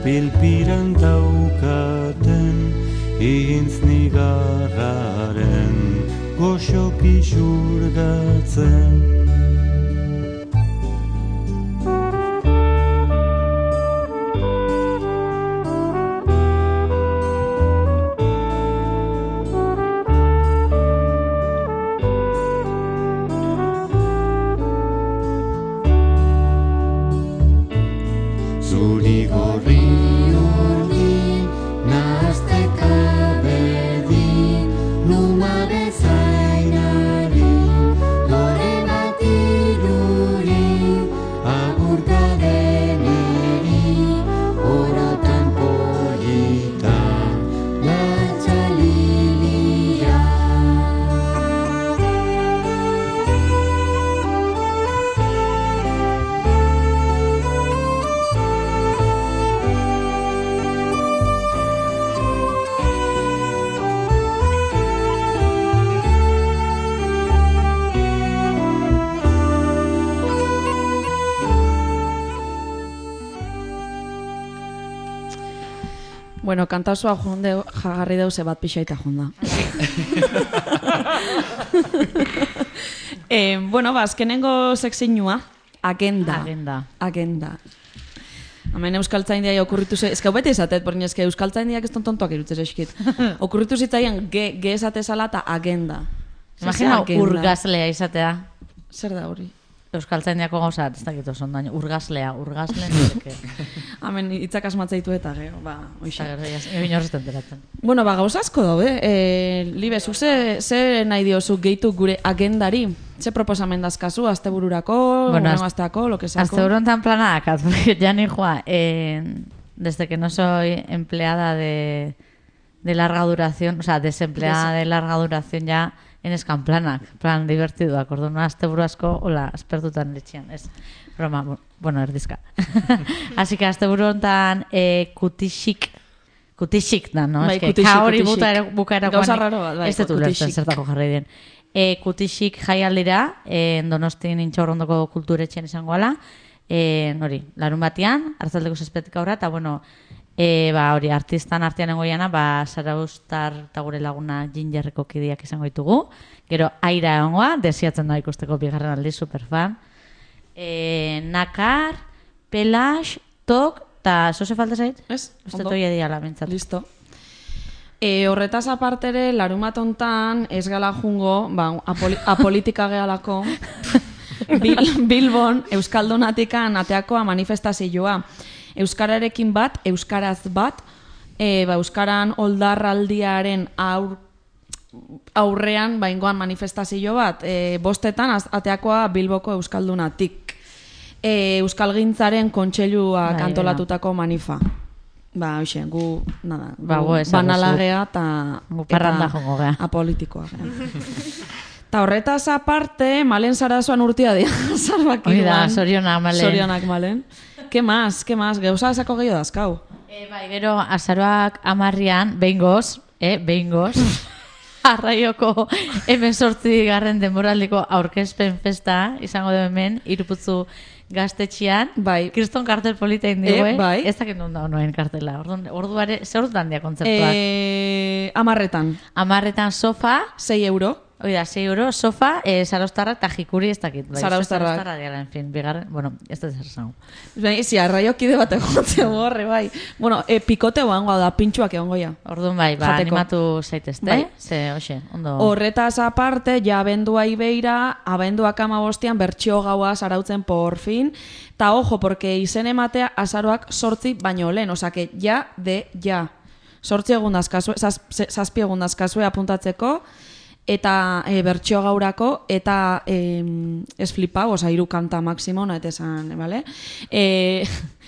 pilpiran daukaten, ihintz nigarraren, goxoki xurgatzen. Zuri gorri urdin, nahasteka berdin, luma bezainari, lore bat iduri, agurka deneri, Bueno, kantauzua jonde jagarri deuze bat pixaita jonda. eh, bueno, ba, azkenengo sekzinua, agenda. Agenda. Agenda. Hemen euskaltzaindia okurritu ze... Ez que hau beti esatet, porni ez que euskaltzaindiak ez tontontoak irutzez eskit. Okurritu zitzaien ge, ge esatezala eta agenda. Imagina Agenda. urgazlea izatea. Zer da hori? Euskaltzaindiako gauza, ez dakit oso ondaino. Urgazlea, urgazle nireke. Hemen hitzak asmatzaitu eta gero, ba, oixe. Egin horretzen enteratzen. Bueno, ba, gauza asko daude. E, Libe, zuk ze, ze nahi diozu gehitu gure agendari? Ze proposamen dazkazu, astebururako, Bueno, bueno, az- asteako, lo que sea. Hasta horontan planak, porque ya ni Juan, eh, desde que no soy empleada de, de larga duración, o sea, desempleada de larga duración ya, en eskanplanak, plan divertiduak, orduan aste buru asko, hola, aspertutan etxean, ez, broma, bu- bueno, erdizka. Así que aste buru hontan eh, kutixik, kutixik da, no? Bai, Es que kutixik, ka hori kutixik. bukaera- bukaerakoan Gauza raro bat, bai, ez dut ulertzen kutixik. zertako jarri den. E, kutixik jaialdira, e, Donostin Intxaurrondoko kulturetxean izango ala, e, hori, larun batean, hartzaldeko zazpetik aurra, eta bueno, e, ba, hori, artistan artean engoiana, ba, Zaraustar eta gure laguna Gingerreko kidiak izango ditugu, gero aira egongoa, desiatzen da ikusteko bigarren aldi, superfan, e, Nakar, Pelax, Tok, eta zoze falta zait? Ez, Uste ondo. toi ediala, bintzat. Listo. E, horretaz apartere, larumat hontan ez gala jungo, ba, apoli, apolitika gehalako, Bil, Bilbon, Euskaldunatikan ateakoa manifestazioa. Euskararekin bat, Euskaraz bat, e, ba, Euskaran oldarraldiaren aur, aurrean baingoan manifestazio bat, e, bostetan az- ateakoa Bilboko Euskaldunatik. E, Euskalgintzaren kontseiluak Bai, antolatutako manifa. Ba, hoxe, gu, nada, gu Ba, gu ezaguzu. banalagea eta Gu parranda jongo gea. apolitikoa gea. Ta horretaz aparte, Malen Sarazuan urtia dira, zarbak Hori da, zorionak, Malen. Zorionak, Malen. Ke más, ke más, gauza esako gehiago dazkau. E, bai, gero, azaroak amarrian, behingoz, eh, behingoz, arraioko hemen sortzi garren denboraldiko aurkezpen festa, izango du hemen, iruputzu gaztetxian, Bai. kriston kartel polita indigo, Eh, bai. ez dakit nun da noen kartela, orduan, orduare, ze orduan dia kontzeptuak. E, amarretan, Amarretan sofa, sei euro. hori da, sei euro, sofa, eh, Zaraustarra eta jikuri ez dakit. Bai, Zaraustarrak. Zaraustarra diala, en fin, bigarren, bueno, ez da zer zango. Bai, zi, arraiokide bat egotzea horre, bai. Bueno, e, pikote egongo da, pintxuak egongo ja. Orduan bai, ba, Jateko. animatu zaitezte, Bai. ze, hoxe, ondo. Horretaz aparte, ja abendua ibeira, abenduak amabostian bertxio gaua zarautzen por fin. Ta ojo, porque izen ematea azaroak sortzi baino lehen, osea que ja de ja. Sortzi egun dazkazue, zaz, ze- zazpi egun dazkazue apuntatzeko, eta e, bertxio gaurako, eta e, ez flipau, osea hiru kanta maximo, nahet esan, vale? E,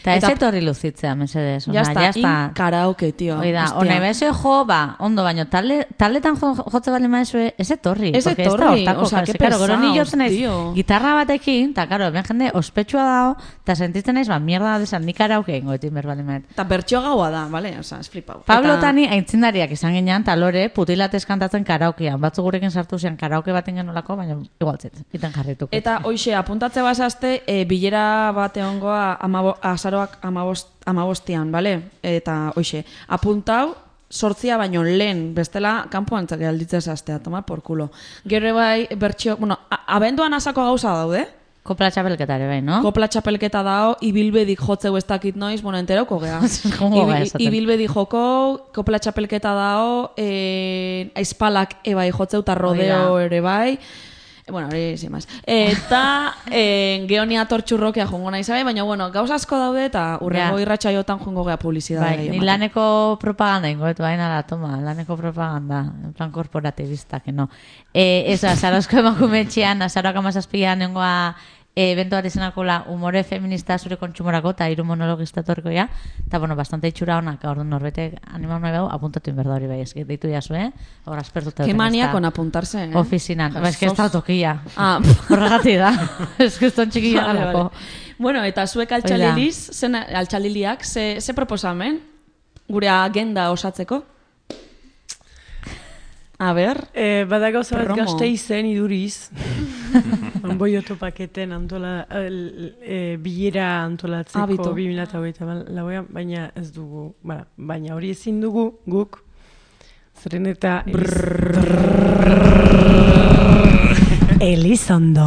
Eta ez etorri luzitzea, mesedez. ya Ona, está, ya está. in karaoke, tío. Hoi da, Hostia. ona ibezu jo, ba, ondo baino, talde, taldetan jo, jotze bali maezue, ez etorri. Ez porque etorri, da hortako, osea, kasi, que claro, gero ni pesaos, jotzen naiz tío. gitarra batekin, eta, karo, ben jende ospetsua dago, eta sentitzen naiz, ba, mierda desan, nik karaoke ingo etin berbali maet. Eta bertxio gaua da, vale? Osea, ez flipau. Pablo Eta- Tani aintzindariak izan ginean, eta lore, putilatez kantatzen karaokean. Batzu gurekin sartu zian karaoke baten genolako, baina igualtzet, iten jarrituko. Eta hoxe, apuntatze bazazte, e, bilera bat egongoa amabo, azaroak amabost, amabostian, bale? Eta hoxe, apuntau, sortzia baino lehen, bestela kanpoan txake alditzea zaztea, tomar por kulo. Gero bai, bertxio, bueno, a, abenduan asako gauza daude, Kopla txapelketare bai, no? kopla txapelketa dao, ibilbedik jotzeu ez dakit noiz, bueno, enterauko gea. Jongo gara Ibi- esaten. Ibilbedik joko, kopla txapelketa dao, e, aizpalak ebai jotzeu eta rodeo Hori ere bai. E, bueno, hori sin más. Eta e, geonia tortxurrokea jongo nahi zabe, baina bueno, gauza asko daude eta urrengo Ja. irratsaiotan jongo gea publizidadea. Bai, ni laneko propaganda ingo, etu baina da, toma, laneko propaganda, en plan korporatibista, que no. Eh, eso, azarozko emakumetxean, azaroak amazazpian nengoa e, eventuari zenakola humore feminista zure kontsumorako, eta hiru monologista torko ja, eta bueno, bastante itxura honak, orduan norbete animau nahi bau, apuntatu inberda hori bai, eski, deitu jazu, eh? Hor, aspertuta. Qué duten, manía ezta con apuntarse, eh? Ofizinan, ba, eski ez da tokia. Ah, Horregatik da, ez que eston txikilla Vale, galako. vale. Bueno, eta zuek altxaliliz, zen altxaliliak, ze, ze proposamen? Gure agenda osatzeko? A ber, E, bada gauza bat Promo. gazte izen iduriz. Boioto paketen antola, el, e, bilera antolatzeko Abito. bi mila hogeita lauean, baina ez dugu, ba, baina hori ezin dugu guk, zeren eta Elizondo.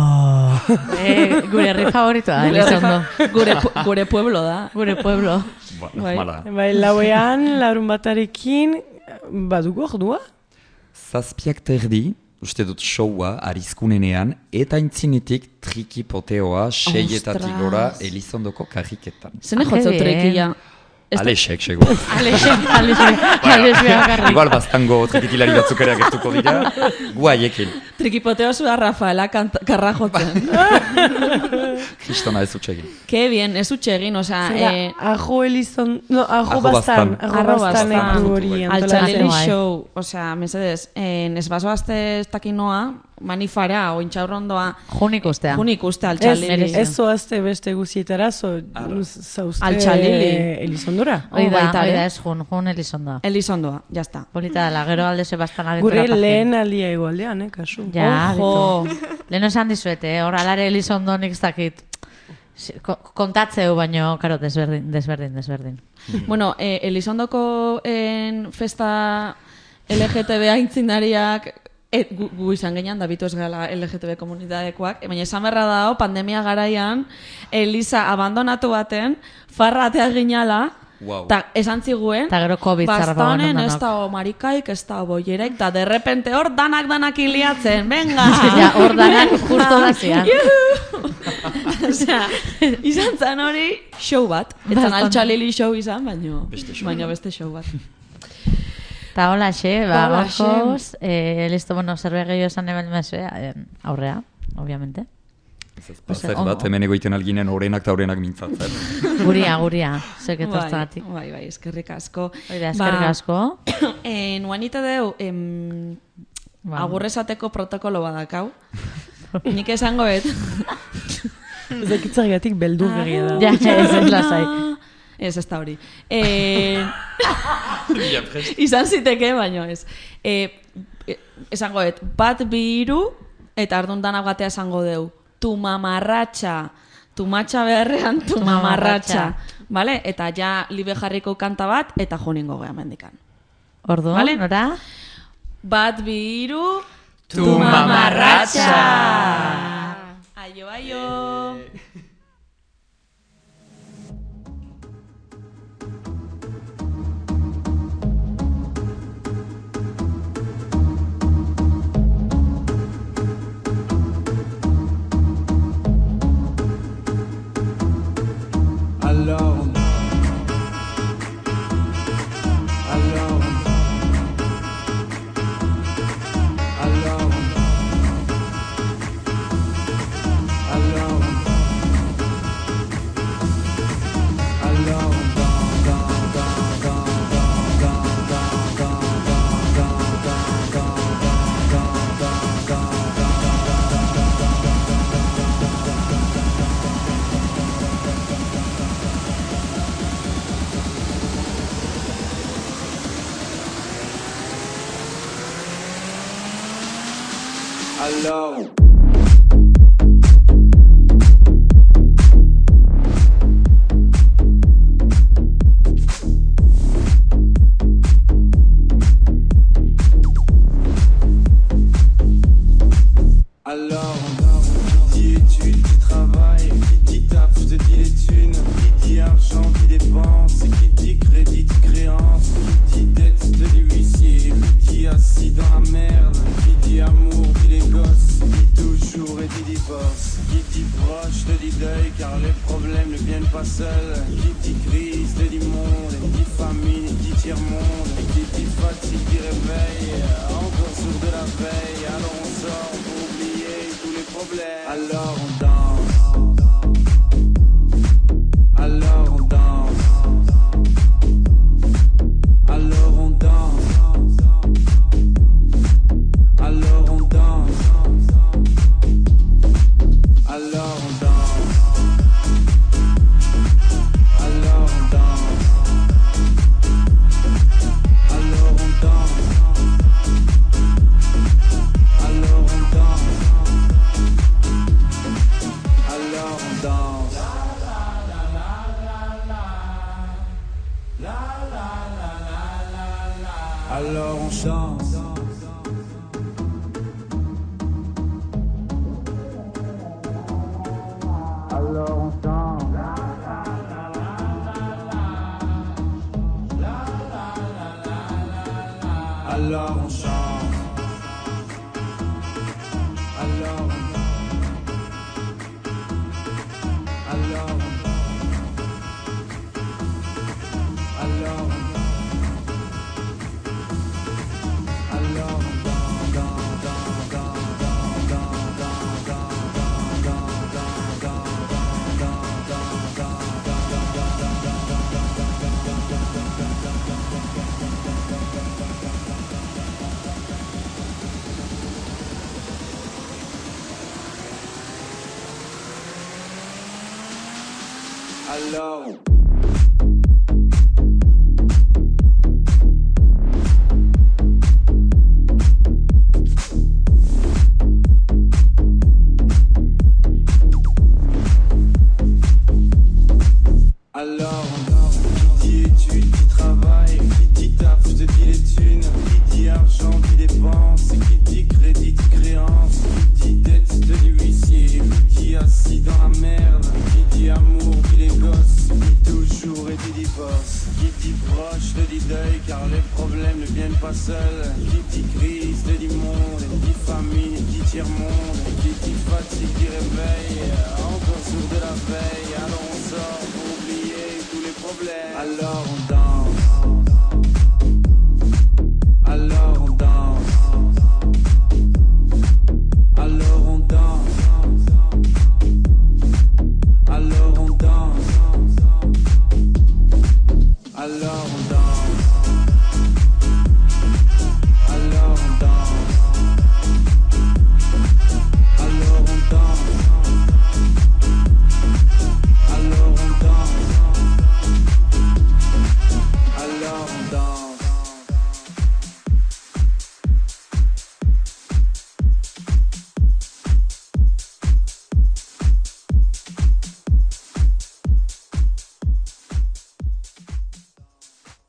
Eh, gure herri favoritoa, Elizondo. Gure, pu- gure pueblo da. Gure pueblo. Bueno, Bai. mala. Bai, lauean, larun batarekin, badugu ordua? Zazpiak terdi, uste dut showa arizkunenean, eta intzinetik trikipoteoa seietatik Ostras. gora Elizondoko karriketan. Zene Ah, jotzeu que bien. trekila. Ez da- Alexek, sego. Alexek, Alexek, Alexek bakarrik. Igual baztango trikikilari batzuk ere agertuko dira, gu haiekin. Trikipoteo zua Rafaela kant- karra jotzen. Kristona ez utxegin. Ke bien, ez utxe egin, osea... Zera, Eh, ajo Elizon, no, ajo Ajo bastan, Bastan. ajo Arro bastanek Bastan. du hori Altxalili antolatzen. bai. show, osea, mesedez, en esbazoazte ez dakinoa, manifara, ointxaurrondoa, Junik ustea. junik uste Ez, altxalili. ez zoazte beste guzietara, zo, zauzte Altxalili. Elizondora. Hoi Oh, da, baita hoi ere. da, ez jun, jun Elizondoa. Elizondoa, jazta. Polita dela, gero alde Sebastan aretu Gure lehen aldia egualdean, eh, kasu. Ja, Ojo. bitu. Lehen esan dizuete, eh? Hor alare Elizondo nik ez dakit. Si- ko- Kontatzeu, baino, karo, desberdin, desberdin, desberdin. Bueno, eh, Elizondoko en festa L G T B aintzinariak et, gu, gu izan genean, da bitu ez gala L G T B komunitatekoak, baina esan berra dago, pandemia garaian, Eliza abandonatu baten, farra atea ginala, Wow. ta esan ziguen, Ta gero COVID zarra bastanen pagoen ez ondanok. da marikaik, ez da boierek, da derrepente hor danak-danak iliatzen, venga! Ja, hor danak justo dazian. Osea, izan zen hori show bat. Etzan Bastan. altxalili show izan, baino Beste show baino bat. beste show bat. Ta hola, xe, ba, Hola, xe. gaurkoz, eh, listo, bueno, zerbait gehiago esan ebel mezue, eh, aurrea, obviamente. Ez ez, Pues, placer ondo. bat, hemen egoiten alginen orenak eta orenak mintzatzen. Guria, guria, zuek Bai, etortzagatik. bai, bai, eskerrik asko. Hoi da, eskerrik asko. Eh, nuanite deu, em, Ba. agurrezateko protokolo badakau. Nik esango et. Ez dakitzargatik beldur begia da. Ja, ez ez lasai. Ez, ez da hori. Eh, izan ziteke, baino ez. Eh, esango et, bat bi hiru eta ardun danak batea esango deu. Tu mamarratxa. Tu matxa beharrean, tu mamarratxa. Vale? Eta ja libe jarriko kanta bat, eta joningo geha mendikan. Orduan, Vale. nora? Bat bi hiru, Tu mamarratxa! Aio, aio! Alors, alors, alors, alors, alors, dans, dans, dans, dans, dans, dans, dans, dans, dans, alors. Alors, qui dit études, qui travaille, qui dit taf, je te dis les thunes, qui dit argent, qui dépense, qui dit crédit, créance, qui dit dette, te dit huissier, qui dit assis dans la merde, qui dit amour, dit les gosses, qui dit toujours et dit divorce, qui dit proche, te dit deuil, car les problèmes ne viennent pas seuls, qui dit crise, te dit monde, qui dit famine, qui dit tiers-monde, qui dit fatigue, dit réveil, encore sourd de la veille, alors on sort pour oublier tous les problèmes. Alors on danse. Alors on danse. Alors on danse. Alors on danse. Alors on danse. Alors on danse. Alors on danse. Alors on danse. Alors on chante. Alors on chante. Alors on chante. Alors on Alors Alors Alors Alors Alors, qui dit études, qui travaille, qui dit taf, je te dis les thunes, qui dit argent, qui dépense, qui dit crédit, qui créance, qui dit dette, te dit huissier, qui dit assis dans la merde, qui dit amour, qui les gosses, qui toujours et dit divorce, qui dit proche, te dit deuil, car les problèmes ne viennent pas seuls, qui dit crise, te dit monde, qui dit famine, qui dit tiers-monde, qui dit fatigue, qui réveille, encore sourd de la veille, alors on sort pour oublier tous les problèmes, alors on danse.